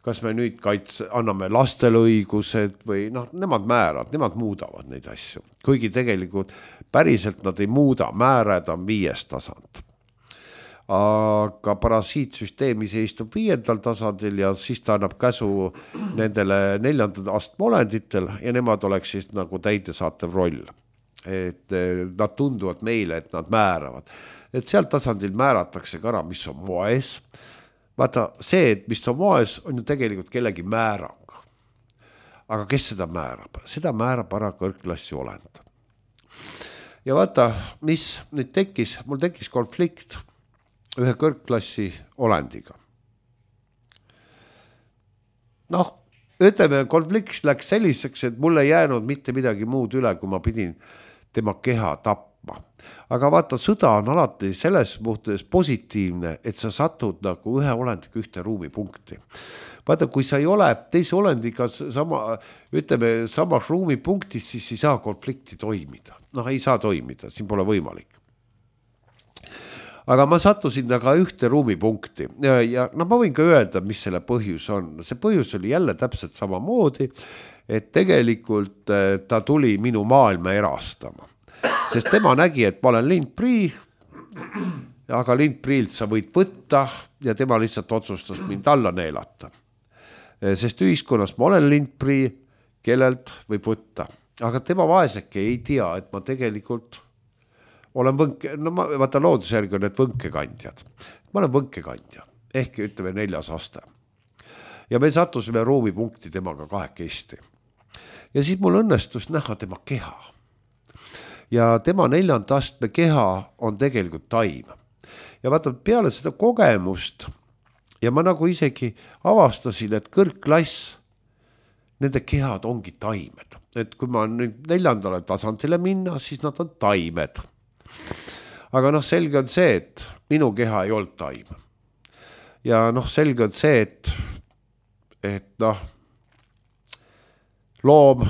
kas me nüüd anname lastele õigused või nemad määravad, nemad muudavad neid asju. Kuigi tegelikult päriselt nad ei muuda, määrad on 5. tasand. Aga parasiitsüsteemis istub 5. tasandil ja siis ta annab käsu nendele 4. astme olenditel ja nemad oleks siis nagu täidesaatev roll. Et nad tunduvad meile, et nad määravad. Et seal tasandil määratakse ka ära, mis on moes. Vaata, see, et mis on moes, on ju tegelikult kellegi määrang. Aga kes seda määrab? Seda määrab ära kõrgklassi olend. Ja vaata, mis nüüd tekkis, mul tekkis konflikt ühe kõrgklassi olendiga. Ütleme, konflikt läks selliseks, et mul ei jäänud mitte midagi muud üle, kui ma pidin tema keha tapma. tapma. Aga vaata, sõda on alati selles mõttes positiivne, et sa satud nagu ühe olendiga ühte ruumipunkti. Vaata, kui sa ei ole teise olendiga samas ruumipunktis, siis ei saa konflikti toimida. Ei saa toimida, siin pole võimalik. Aga ma sattusin aga ühte ruumipunkti ja ma võin ka öelda, mis selle põhjus on. See põhjus oli jälle täpselt samamoodi, et tegelikult ta tuli minu maailma erastama. Sest tema nägi, et ma olen lindprii, aga lindpriilt sa võid võtta ja tema lihtsalt otsustas mind alla neelata. Sest ühiskonnas ma olen lindprii, kellelt võib võtta. Aga tema vaeseke ei tea, et ma tegelikult olen vaata loodusjärgi on need võnkekandjad. Ma olen võnkekandja, ehk ütleme 4. aste. Ja me sattusime ruumipunkti temaga 2. Ja siis mul õnnestus näha tema keha. Ja tema 4. astme keha on tegelikult taim. Ja vaata, peale seda kogemust ja ma nagu isegi avastasin, et kõrgklass, nende kehad ongi taimed. Et kui ma nüüd 4. tasandile minna, siis nad on taimed. Aga selge on see, et minu keha ei olnud taim. Ja selge on see, et loom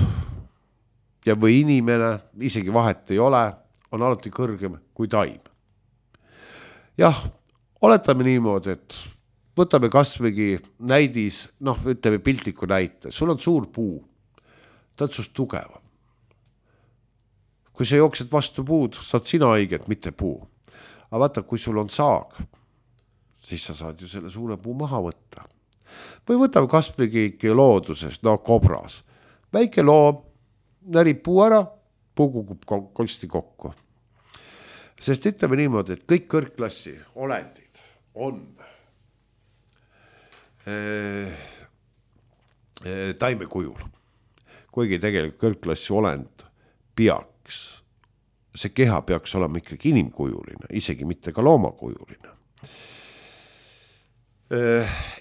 ja või inimene, isegi vahet ei ole, on alati kõrgem kui taim. Jah, oletame niimoodi, et võtame kasvõigi näidis, ütleme piltliku näite. Sul on suur puu, ta on sust tugevam. Kui sa jooksed vastu puud, saad sina õiget, mitte puu. Aga vaata, kui sul on saag, siis sa saad ju selle suure puu maha võtta. Või võtame kasvõigi looduses, kobras. Väike loom närib puu ära, puu kukub konsti kokku. Sest ütleme niimoodi, et kõik kõrgklassi olendid on taimekujul. Kuigi tegelikult kõrgklassi olend see keha peaks olema ikkagi inimkujuline, isegi mitte ka loomakujuline.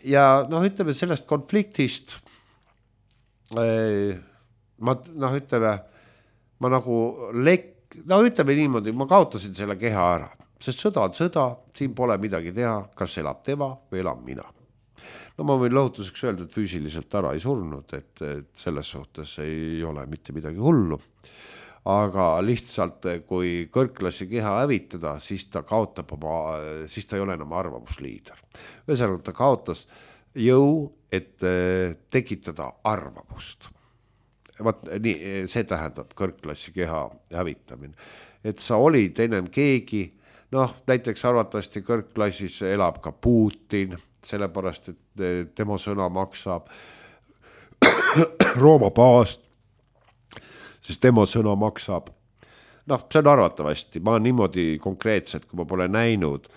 Ja ütleme sellest konfliktist, ma nagu ütleme niimoodi, ma kaotasin selle keha ära, sest sõda on sõda, siin pole midagi teha, kas elab tema või elab mina. Ma võin lõhutuseks öelda, et füüsiliselt ära ei surnud, et selles suhtes ei ole mitte midagi hullu. Aga lihtsalt, kui kõrgklassi keha hävitada, siis ta kaotab siis ta ei ole enam arvamusliider. Ühesõnaga, ta kaotas jõu, et tekitada arvamust. Nii, see tähendab kõrgklassi keha hävitamine. Et sa olid ennem keegi, näiteks arvatavasti kõrgklassis elab ka Putin, sellepärast, et tema sõna maksab Rooma paast, sest tema sõna maksab. See on arvatavasti, ma niimoodi konkreetselt, kui ma pole näinud,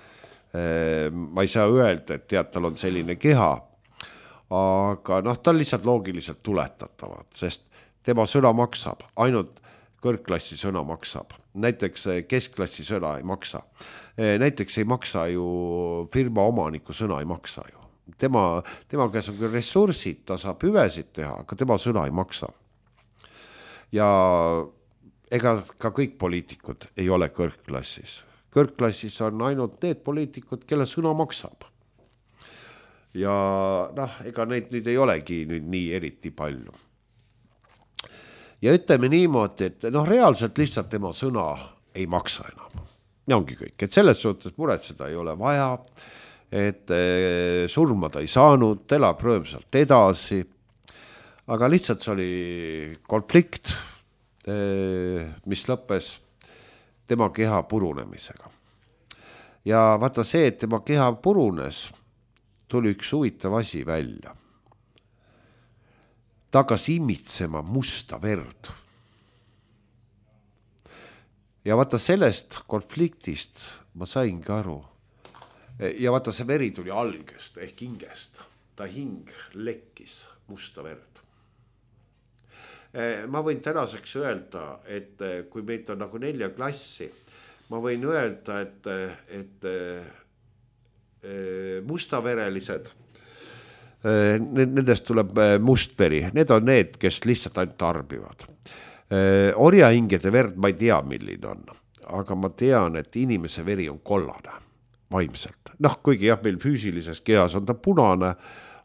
ma ei saa öelda, et tal on selline keha, aga ta on lihtsalt loogiliselt tuletatavad, sest tema sõna maksab, ainult kõrgklassi sõna maksab. Näiteks keskklassi sõna ei maksa. Näiteks ei maksa ju firma omaniku sõna ei maksa ju. Tema käes on küll ressursid, ta saab hüvesid teha, aga tema sõna ei maksa. Ja ega ka kõik poliitikud ei ole kõrgklassis. Kõrgklassis on ainult need poliitikud, kelle sõna maksab. Ja ega neid nüüd ei olegi nüüd nii eriti palju. Ja ütleme niimoodi, et reaalselt lihtsalt tema sõna ei maksa enam. Ja ongi kõik, et selles suhtes muretseda ei ole vaja, et surma ta ei saanud, elab rõõmsalt edasi. Aga lihtsalt see oli konflikt, mis lõppes tema keha purunemisega. Ja vaata see, et tema keha purunes, tuli üks huvitav asi välja. Ta hakkas imitsema musta verd. Ja vaata sellest konfliktist ma saingi aru. Ja vaata see veri tuli algest ehk hingest. Ta hing lekkis musta verd. Ma võin tänaseks öelda, et kui meid on nagu 4 klassi, ma võin öelda, et mustaverelised, nendest tuleb mustveri. Need on need, kes lihtsalt ainult tarbivad. Orjahingede verd ma ei tea, milline on. aga ma tean, et inimese veri on kollane vaimselt. Noh, kuigi jah, meil füüsilises kehas on ta punane,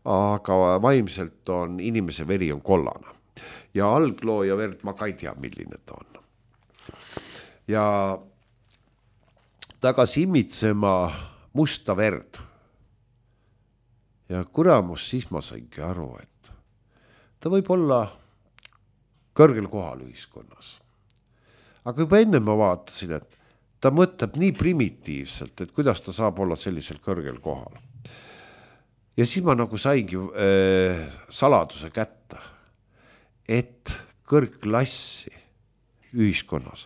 aga vaimselt on inimese veri on kollane. Ja alglooja verd ma ka ei tea, milline ta on. Ja tagas imitsema musta verd. Ja kuramus siis ma saingi aru, et ta võib olla kõrgel kohal ühiskonnas. Aga juba enne ma vaatasin, et ta mõtleb nii primitiivselt, et kuidas ta saab olla sellisel kõrgel kohal. Ja siis ma nagu saingi saladuse kätte, et kõrgklassi ühiskonnas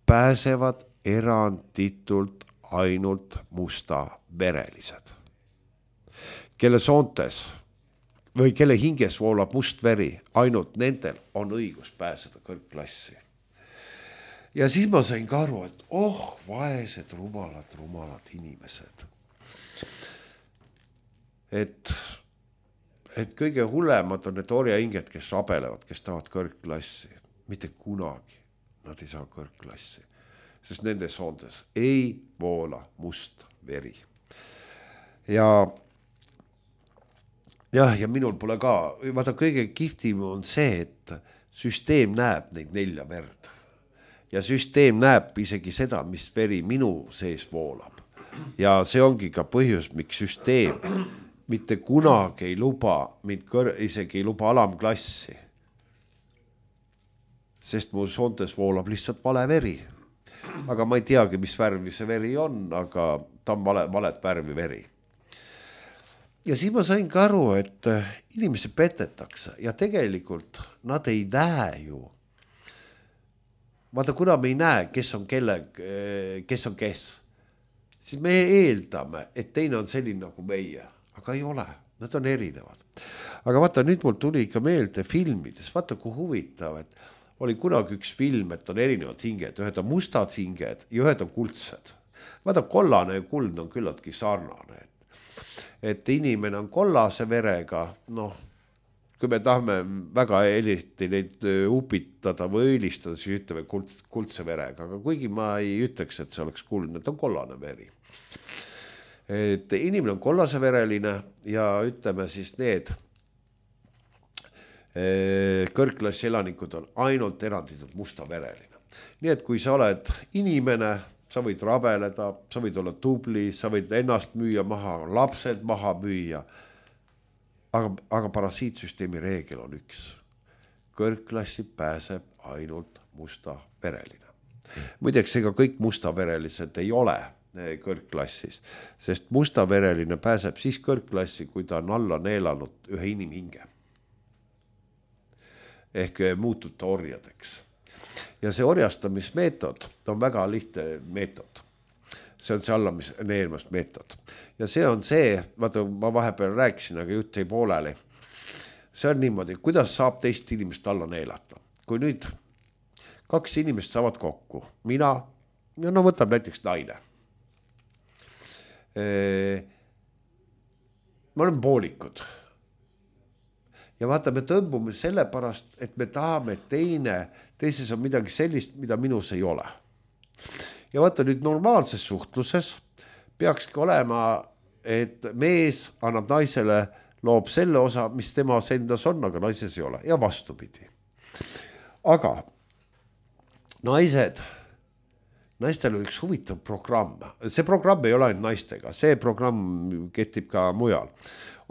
pääsevad eranditult ainult mustaverelised, kelle soontes või kelle hinges voolab must veri, ainult nendel on õigus pääseda kõrgklassi. Ja siis ma sain ka aru, et vaesed, rumalad inimesed. Et kõige hullemad on need orjahinged, kes rabelevad, kes tahavad kõrgklassi. Mitte kunagi nad ei saa kõrgklassi, sest nende soontes ei voola must veri. Ja minul pole ka, vaata kõige kihvtim on see, et süsteem näeb neid 4 verd. Ja süsteem näeb isegi seda, mis veri minu sees voolab. Ja see ongi ka põhjus, miks süsteem mitte kunagi ei luba, isegi ei luba alamklassi. Sest mu soontes voolab lihtsalt vale veri. Aga ma ei teagi, mis värvi see veri on, aga ta on valet värvi veri. Ja siis ma sain ka aru, et inimesi petetakse ja tegelikult nad ei näe ju. Vaata, kuna me ei näe, kes on kes, siis me eeldame, et teine on selline nagu meie, aga ei ole, nad on erinevad. Aga vaata, nüüd mul tuli ikka meelde filmides, vaata kui huvitav, et oli kunagi üks film, et on erinevad hinged, ühed on mustad hinged ja ühed on kuldsed. Vaata, kollane ja kuld on küllaltki sarnane, et inimene on kollase verega, kui me tahame väga eriti neid upitada või õilistada, siis ütleme kuldse verega, aga kuigi ma ei ütleks, et see oleks kuldne, et on kollane veri. Et inimene on kollase vereline ja ütleme siis need kõrgklassi elanikud on ainult eranditult musta vereline. Nii et kui sa oled inimene, sa võid rabeleda, sa võid olla tubli, sa võid ennast müüa maha, lapsed maha müüa. Aga parasiitsüsteemi reegel on üks. Kõrgklassi pääseb ainult mustavereline. Muideks, ega kõik mustaverelised ei ole kõrgklassis, sest mustavereline pääseb siis kõrgklassi, kui ta on alla neelanud ühe inimhinge. Ehk muutub ta orjadeks. Ja see orjastamismeetod on väga lihtne meetod. See on see alla neelmast meetod. Ja see on see, vaata, ma vahepeal rääkisin, aga jutt ei pooleli. See on niimoodi, kuidas saab teist inimest alla neelata. Kui nüüd 2 inimest saavad kokku, mina, ja võtab näiteks naine. Me oleme poolikud. Ja vaata, me tõmbume selle pärast, et me tahame, et teises on midagi sellist, mida minus ei ole. Ja vaata nüüd normaalses suhtluses peakski olema, et mees annab naisele, loob selle osa, mis tema endas on, aga naises ei ole ja vastupidi. Aga naistel on üks huvitav programm. See programm ei ole ainult naistega, see programm kehtib ka mujal.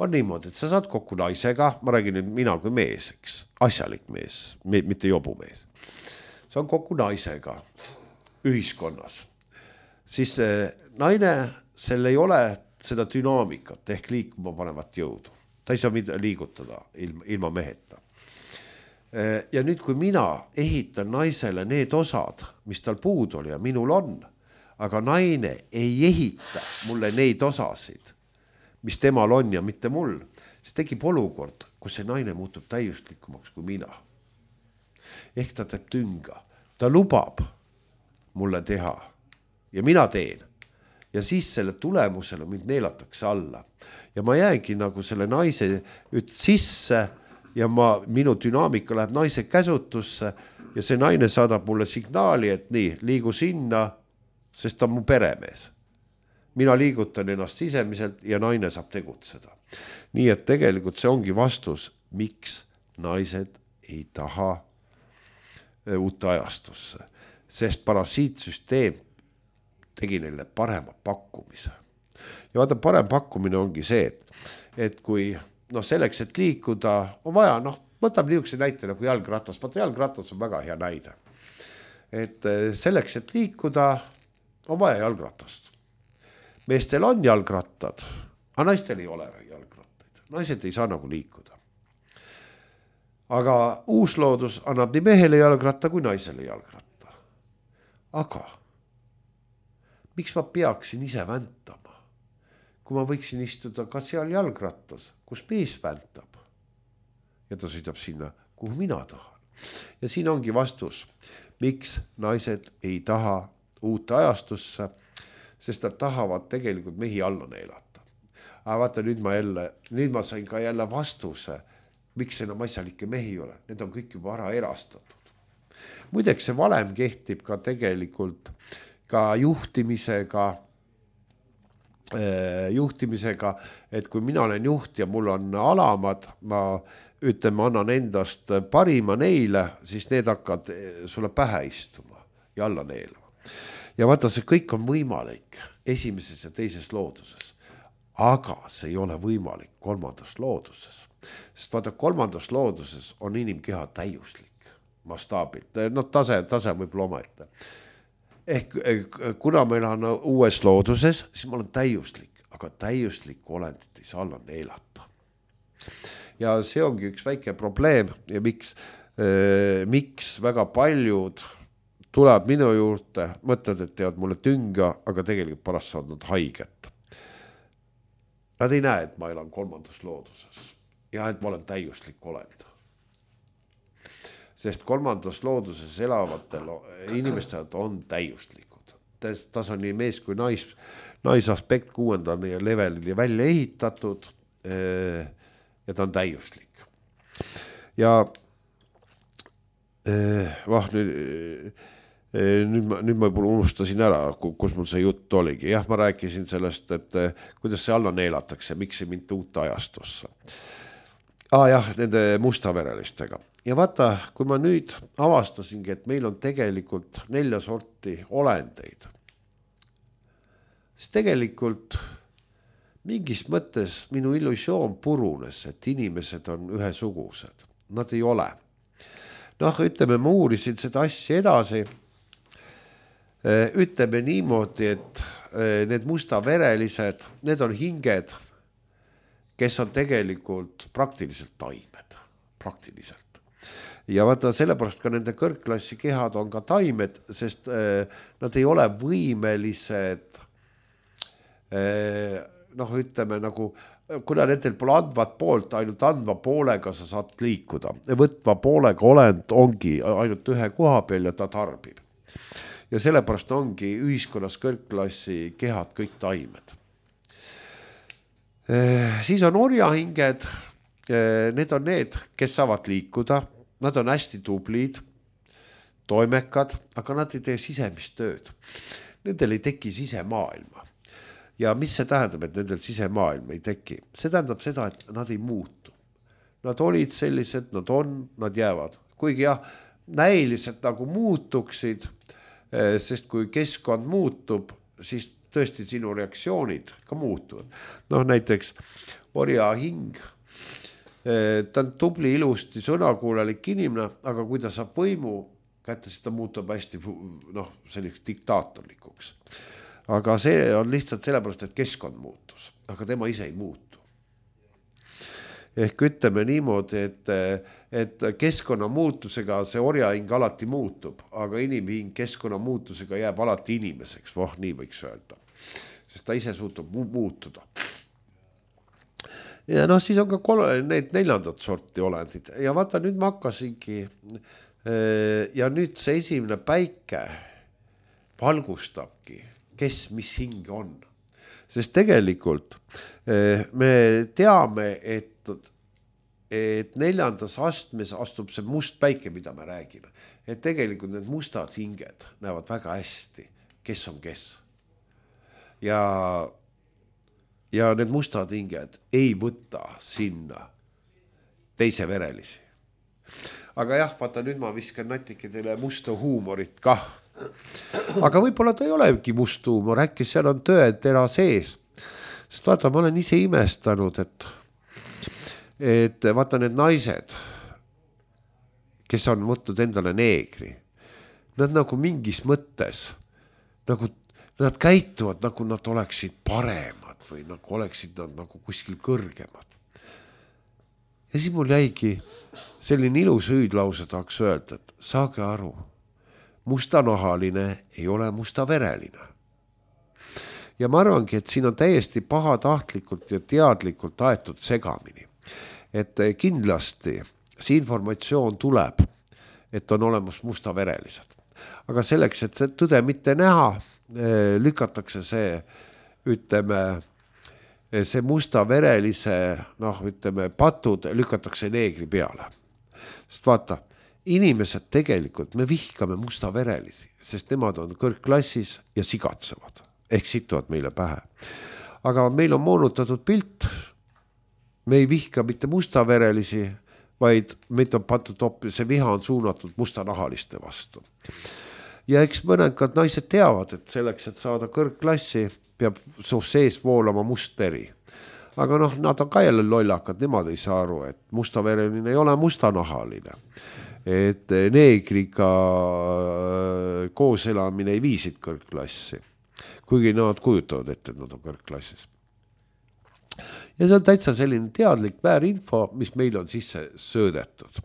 On niimoodi, et sa saad kokku naisega, ma räägin nüüd mina kui mees, eks, asjalik mees, mitte jobu mees. Sa on kokku naisega ühiskonnas, siis naine, sel ei ole seda dünaamikat ehk liikuma panevat jõudu. Ta ei saa liigutada ilma meheta. Ja nüüd, kui mina ehitan naisele need osad, mis tal puudu oli ja minul on, aga naine ei ehita mulle neid osasid, mis temal on ja mitte mul, siis tekib olukord, kus see naine muutub täiuslikumaks kui mina. Ehk ta teeb tünga. Ta lubab mulle teha ja mina teen. Ja siis selle tulemusele mind neelatakse alla. Ja ma jäängi nagu selle naise sisse ja minu dünaamika läheb naise käsutusse ja see naine saadab mulle signaali, et nii, liigu sinna, sest ta on mu peremees. Mina liigutan ennast sisemiselt ja naine saab tegutseda. Nii et tegelikult see ongi vastus, miks naised ei taha uut ajastusse, sest parasiitsüsteem tegi neile parema pakkumise. Ja vaata, parem pakkumine ongi see, et kui selleks, et liikuda, on vaja, võtame niisuguse näite nagu jalgratas. Vaata, jalgratas on väga hea näide. Et selleks, et liikuda, on vaja jalgratast. Meestel on jalgrattad, aga naistel ei ole jalgrattaid. Naised ei saa nagu liikuda. Aga uusloodus annab nii mehele jalgratta kui naisele jalgratta. Aga miks ma peaksin ise väntama, kui ma võiksin istuda ka seal jalgrattas, kus mees väntab ja ta sõidab sinna, kuhu mina tahan. Ja siin ongi vastus, miks naised ei taha uut ajastusse, sest nad tahavad tegelikult mehi alla neelata. Aga vaata, nüüd ma sain ka jälle vastuse, miks enam asjalikke mehi ole. Need on kõik juba ära erastatud. Muideks see valem kehtib ka tegelikult ka juhtimisega, et kui mina olen juht ja mul on alamad, ma annan endast parima neile, siis need hakkavad sulle pähe istuma ja alla neelama. Ja vaata, see kõik on võimalik esimeses ja teises looduses, aga see ei ole võimalik kolmandas looduses. Sest vaata, kolmandas looduses on inimkeha täiuslik mastaabilt, tase võib loomata. Ehk kuna meil on uues looduses, siis ma olen täiuslik, aga täiuslikku olendit ei saa alla neelata. Ja see ongi üks väike probleem ja miks väga paljud tulevad minu juurde, mõtled, et teevad mulle tünga, aga tegelikult pärast saavad nad haiget. Nad ei näe, et ma elan kolmandas looduses ja et ma olen täiuslik olend. Sest kolmandas looduses elavatel inimestel on täiuslikud. Tas on nii mees kui naisaspekt 6. levelil välja ehitatud ja ta on täiuslik. Ja nüüd ma juba unustasin ära, kus mul see jutt oligi. Jah, ma rääkisin sellest, et kuidas see alla neelatakse, miks ei mind uut ajastusse. Jah, nende mustaverelistega. Ja vaata, kui ma nüüd avastasingi, et meil on tegelikult 4 sorti olendeid, siis tegelikult mingis mõttes minu illusioon purunes, et inimesed on ühesugused. Nad ei ole. Ütleme, ma uurisin seda asja edasi. Ütleme niimoodi, et need mustaverelised, need on hinged, kes on tegelikult praktiliselt taimed. Praktiliselt. Ja vaata, sellepärast ka nende kõrgklassi kehad on ka taimed, sest nad ei ole võimelised, ütleme nagu, kuna nendel pole andvat poolt, ainult andva poolega sa saad liikuda. Võtva poolega olend ongi ainult ühe koha peal ja ta tarbib. Ja sellepärast ongi ühiskonnas kõrgklassi kehad kõik taimed. Siis on orjahinged, need on need, kes saavad liikuda. Nad on hästi tublid, toimekad, aga nad ei tee sisemist tööd. Nendel ei teki sisemaailma. Ja mis see tähendab, et nendel sisemaailma ei teki? See tähendab seda, et nad ei muutu. Nad olid sellised, nad on, nad jäävad. Kuigi näiliselt nagu muutuksid, sest kui keskkond muutub, siis tõesti sinu reaktsioonid ka muutuvad. Näiteks orja hing, ta on tubli, ilusti, sõnakuulelik inimene, aga kui ta saab võimu kätte, siis ta muutub hästi selliseks diktaatorlikuks. Aga see on lihtsalt sellepärast, et keskkond muutus, aga tema ise ei muutu. Ehk ütleme niimoodi, et keskkonna muutusega see orjahing alati muutub, aga inimhing keskkonna muutusega jääb alati inimeseks, nii võiks öelda, sest ta ise suutub muutuda. Ja siis on ka need 4. sorti olendid. Ja vaata, nüüd ma hakkasingi ja nüüd see esimene päike valgustabki, kes mis hing on. Sest tegelikult me teame, et et 4. astmes astub see must päike, mida me räägime. Et tegelikult need mustad hinged näevad väga hästi, kes on kes. Ja need mustad hinged ei võta sinna teise verelisi. Aga jah, vaata nüüd ma viskan natuke teile musta huumorit kah. Aga võib-olla ta ei olegi must huumor, äkki seal on tõetera sees. Sest vaata, ma olen ise imestanud, et vaata need naised, kes on võtnud endale neegri, nad nagu mingis mõttes, nagu nad käituvad, nagu nad oleksid paremad või nagu oleksid nad nagu kuskil kõrgemad. Ja siis mul jäigi selline ilus hüüdlause tahaks öelda, et saage aru, mustanahaline ei ole mustavereline. Ja ma arvangi, et siin on täiesti pahatahtlikult ja teadlikult aetud segamini. Et kindlasti see informatsioon tuleb, et on olemas mustaverelised. Aga selleks, et see tõde mitte näha, lükatakse see, ütleme, see mustaverelise, ütleme, patud lükatakse neegri peale. Sest vaata, inimesed tegelikult, me vihkame mustaverelisi, sest nemad on kõrgklassis ja sigatsevad. Ehk situvad meile pähe. Aga meil on moonutatud pilt, me ei vihka mitte mustaverelisi, vaid meid on pandud see viha on suunatud mustanahaliste vastu. Ja eks mõnekad naised teavad, et selleks, et saada kõrgklassi, peab sees voolama must veri. Aga nad on ka jälle lollakad, nemad ei saa aru, et mustavereline ei ole mustanahaline. Et neegriga koos elamine ei viisid kõrgklassi. Kuigi nad kujutavad ette, et nad on kõrgklassis. Ja see on täitsa selline teadlik väärinfo, mis meil on sisse söödetud.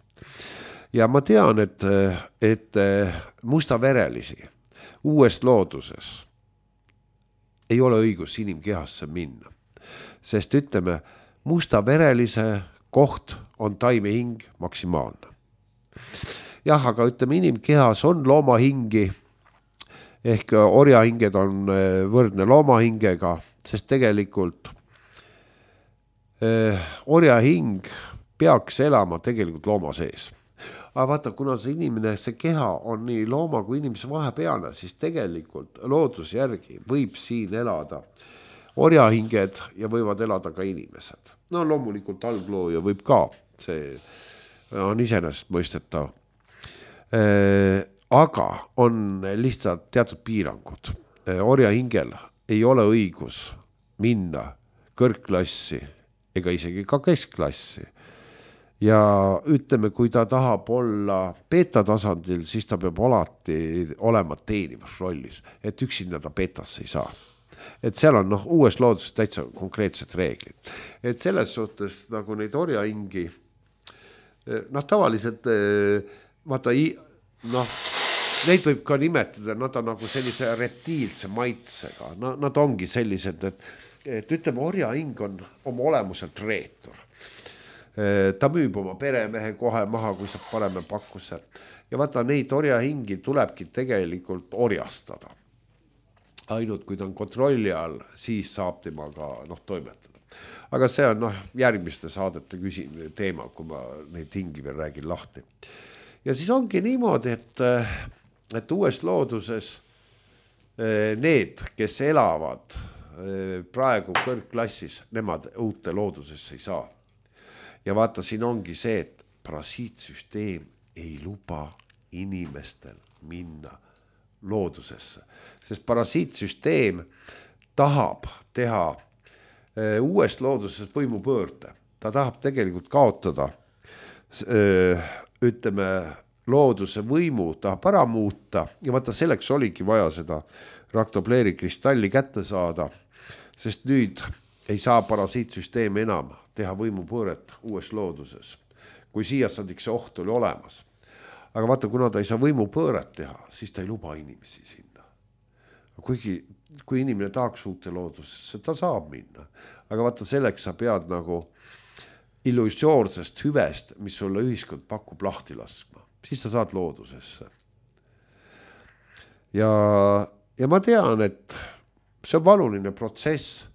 Ja ma tean, et mustaverelisi uues looduses ei ole õigus inimkehasse minna. Sest ütleme, mustaverelise koht on taimehing maksimaalne. Jah, aga ütleme, inimkehas on loomahingi, ehk orjahinged on võrdne loomahingega, sest tegelikult orjahing peaks elama tegelikult looma sees. Aga vaata, kuna see inimene, see keha on nii looma kui inimese vahepealne, siis tegelikult loodus järgi võib siin elada orjahinged ja võivad elada ka inimesed. Loomulikult alglooja võib ka, see on iseenesest mõistetav. Aga on lihtsalt teatud piirangud. Orjahingel ei ole õigus minna kõrgklassi ega isegi ka keskklassi. Ja ütleme, kui ta tahab olla beta tasandil, siis ta peab alati olema teenivas rollis, et üksinda ta betasse ei saa. Et seal on uues looduses täitsa konkreetsed reeglid. Et selles suhtes nagu neid orjahingi, tavaliselt vaata, neid võib ka nimetada, nad on nagu sellise reptiilse maitsega. Nad ongi sellised, et ütleme, orjahing on oma olemuselt reetur. Ta müüb oma peremehe kohe maha, kui saab pareme pakkuse. Ja vaata, neid orjahingi tulebki tegelikult orjastada. Ainult kui ta on kontrolli all, siis saab temaga toimetada. Aga see on järgmiste saadete teema, kui ma neid hingi veel räägin lahti. Ja siis ongi niimoodi, et uues looduses need, kes elavad praegu kõrgklassis, nemad uute loodusesse ei saa. Ja vaata, siin ongi see, et parasiitsüsteem ei luba inimestel minna loodusesse. Sest parasiitsüsteem tahab teha uuest loodusest võimupöörde. Ta tahab tegelikult kaotada ütleme, looduse võimu tahab ära muuta ja vaata, selleks oligi vaja seda raktopleeri kristalli kätte saada, sest nüüd ei saa parasiitsüsteem enam teha võimupööret uues looduses, kui siia sadiks oht oli olemas. Aga vaata, kuna ta ei saa võimupööret teha, siis ta ei luba inimesi sinna. Kuigi, kui inimene tahaks uute loodusesse, ta saab minna. Aga vaata, selleks sa pead nagu illusioorsest hüvest, mis sulle ühiskond pakub lahti laskma. Siis sa saad loodusesse. Ja ma tean, et see on valuline protsess,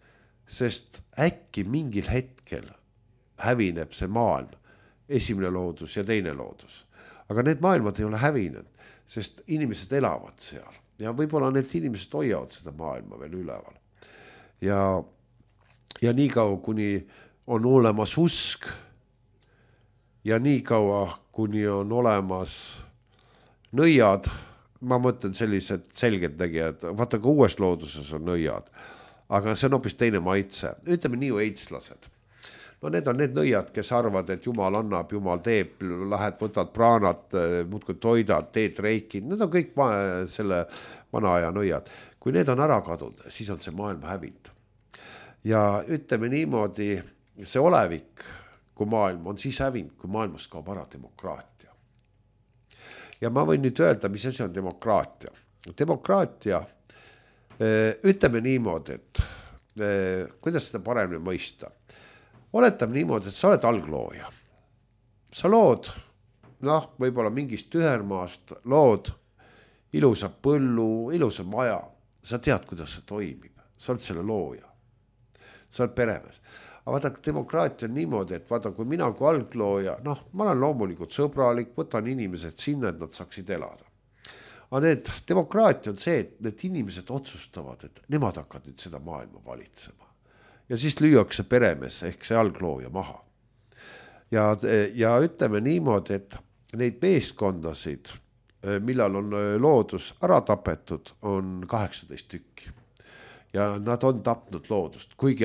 sest äkki mingil hetkel hävineb see maailm esimene loodus ja teine loodus. Aga need maailmad ei ole hävinud, sest inimesed elavad seal ja võib-olla need inimesed hoiavad seda maailma veel üleval. Ja nii kaua, kuni on olemas usk ja nii kaua, kuni on olemas nõiad, ma mõtlen sellised selged tegijad, vaata ka uues looduses on nõiad, aga see on hoopis teine maitse. Ütleme nii eitslased. No need on need nõiad, kes arvad, et Jumal annab, Jumal teeb, lähed, võtad praanat, muudkui toidad, teed reikid, need on kõik selle vana aja nõiad. Kui need on ära kadunud, siis on see maailm hävinud. Ja ütleme niimoodi, see olevik, kui maailm on siis hävinud, kui maailmas kaob ära demokraatia. Ja ma võin nüüd öelda, mis asi on demokraatia. Demokraatia, ütleme niimoodi, et kuidas seda paremini mõista. Oletab niimoodi, et sa oled alglooja. Sa lood, võib-olla mingist tühermaast, lood ilusa põllu, ilusa maja. Sa tead, kuidas see toimib. Sa oled selle looja. Sa oled peremees. Aga vaata, demokraatia on niimoodi, et vaata, kui mina kui alglooja, ma olen loomulikult sõbralik, võtan inimesed sinna, et nad saaksid elada. Aga demokraatia on see, et need inimesed otsustavad, et nemad hakkavad nüüd seda maailma valitsema. Ja siis lüüakse peremees ehk see alglooja maha. Ja ütleme niimoodi, et neid meeskondasid, millal on loodus ära tapetud, on 18 tükki. Ja nad on tapnud loodust, kuigi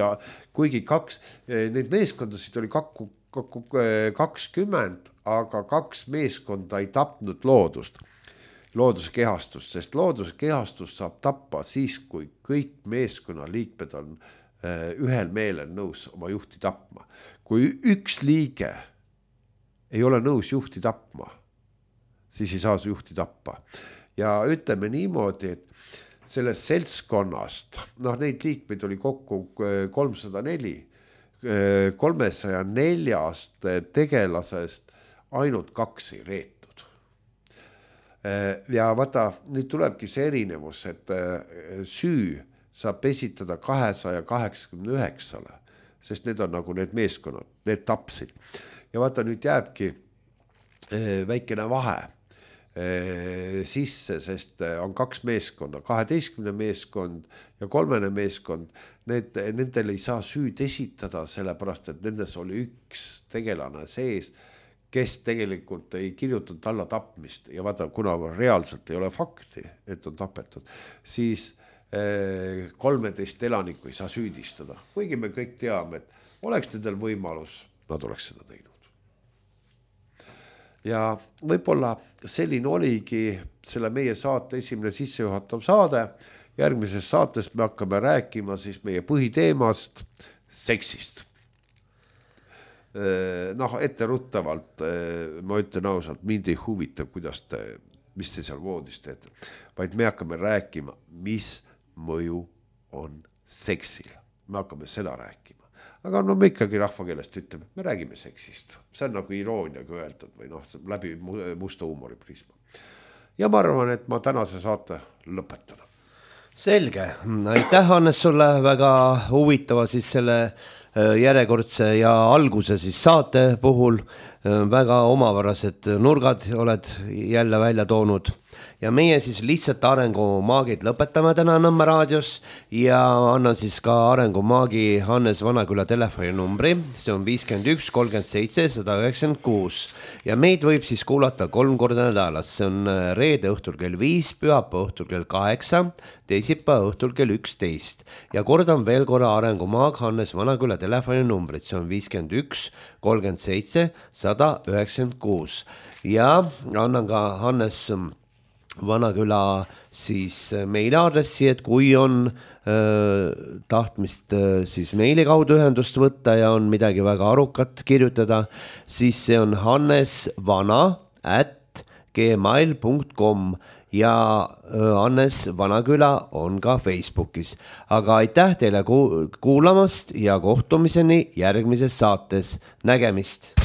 neid meeskondasid oli 20, aga 2 meeskonda ei tapnud looduse kehastust, sest looduse kehastust saab tappa siis, kui kõik meeskonna liikmed on ühel meelel nõus oma juhti tapma. Kui üks liige ei ole nõus juhti tapma, siis ei saa see juhti tappa. Ja ütleme niimoodi, et sellest seltskonnast, neid liikmeid oli kokku 304, 304 tegelasest ainult 2 ei reetud. Ja vaata, nüüd tulebki see erinevus, et süü saab esitada 289, sest need on nagu need meeskonnad, need tapsid. Ja vaata, nüüd jääbki väikene vahe sisse, sest on 2 meeskonda, 12 meeskond ja 3 meeskond, nendel ei saa süüd esitada, sellepärast, et nendes oli üks tegelane sees, kes tegelikult ei kirjutanud alla tapmist ja vaata, kuna reaalselt ei ole fakti, et on tapetud, siis 13 elanikku ei saa süüdistada. Kuigi me kõik teame, et oleks nendel võimalus, nad oleks seda teinud. Ja võib-olla selline oligi selle meie saate esimene sissejuhatav saade. Järgmises saates me hakkame rääkima siis meie põhiteemast, seksist. Etteruttavalt, ma ütlen ausalt, mind ei huvita, mis te seal voodis teete, vaid me hakkame rääkima, mis mõju on seksil. Me hakkame seda rääkima. Aga me ikkagi rahvakeelest ütleme, me räägime seksist. See on nagu irooniaga öeldud või läbi musta huumoriprisma. Ja ma arvan, et ma tänase saate lõpetan. Selge. Aitäh, Hannes, sulle väga huvitava siis selle järjekordse ja alguse siis saate puhul. Väga omavärased nurgad oled jälle välja toonud. Ja meie siis lihtsalt arengumaagid lõpetame täna Nõmme raadios ja annan siis ka arengumaagi Hannes Vanaküla telefoninumbri, see on 51 37 196 ja meid võib siis kuulata 3 korda nädalas, see on reede õhtul kell 5, pühapäeva õhtul kell 8, teisipäeva õhtul kell 11 ja kordan veel korra arengumaag Hannes Vanaküla telefoninumbrit, see on 51 37 196 ja annan ka Hannes Vanaküla siis meiliaadressi, et kui on tahtmist siis meili kaudu ühendust võtta ja on midagi väga arukat kirjutada, siis see on hannesvana@gmail.com ja Hannes Vanaküla on ka Facebookis. Aga aitäh teile kuulamast ja kohtumiseni järgmises saates. Nägemist!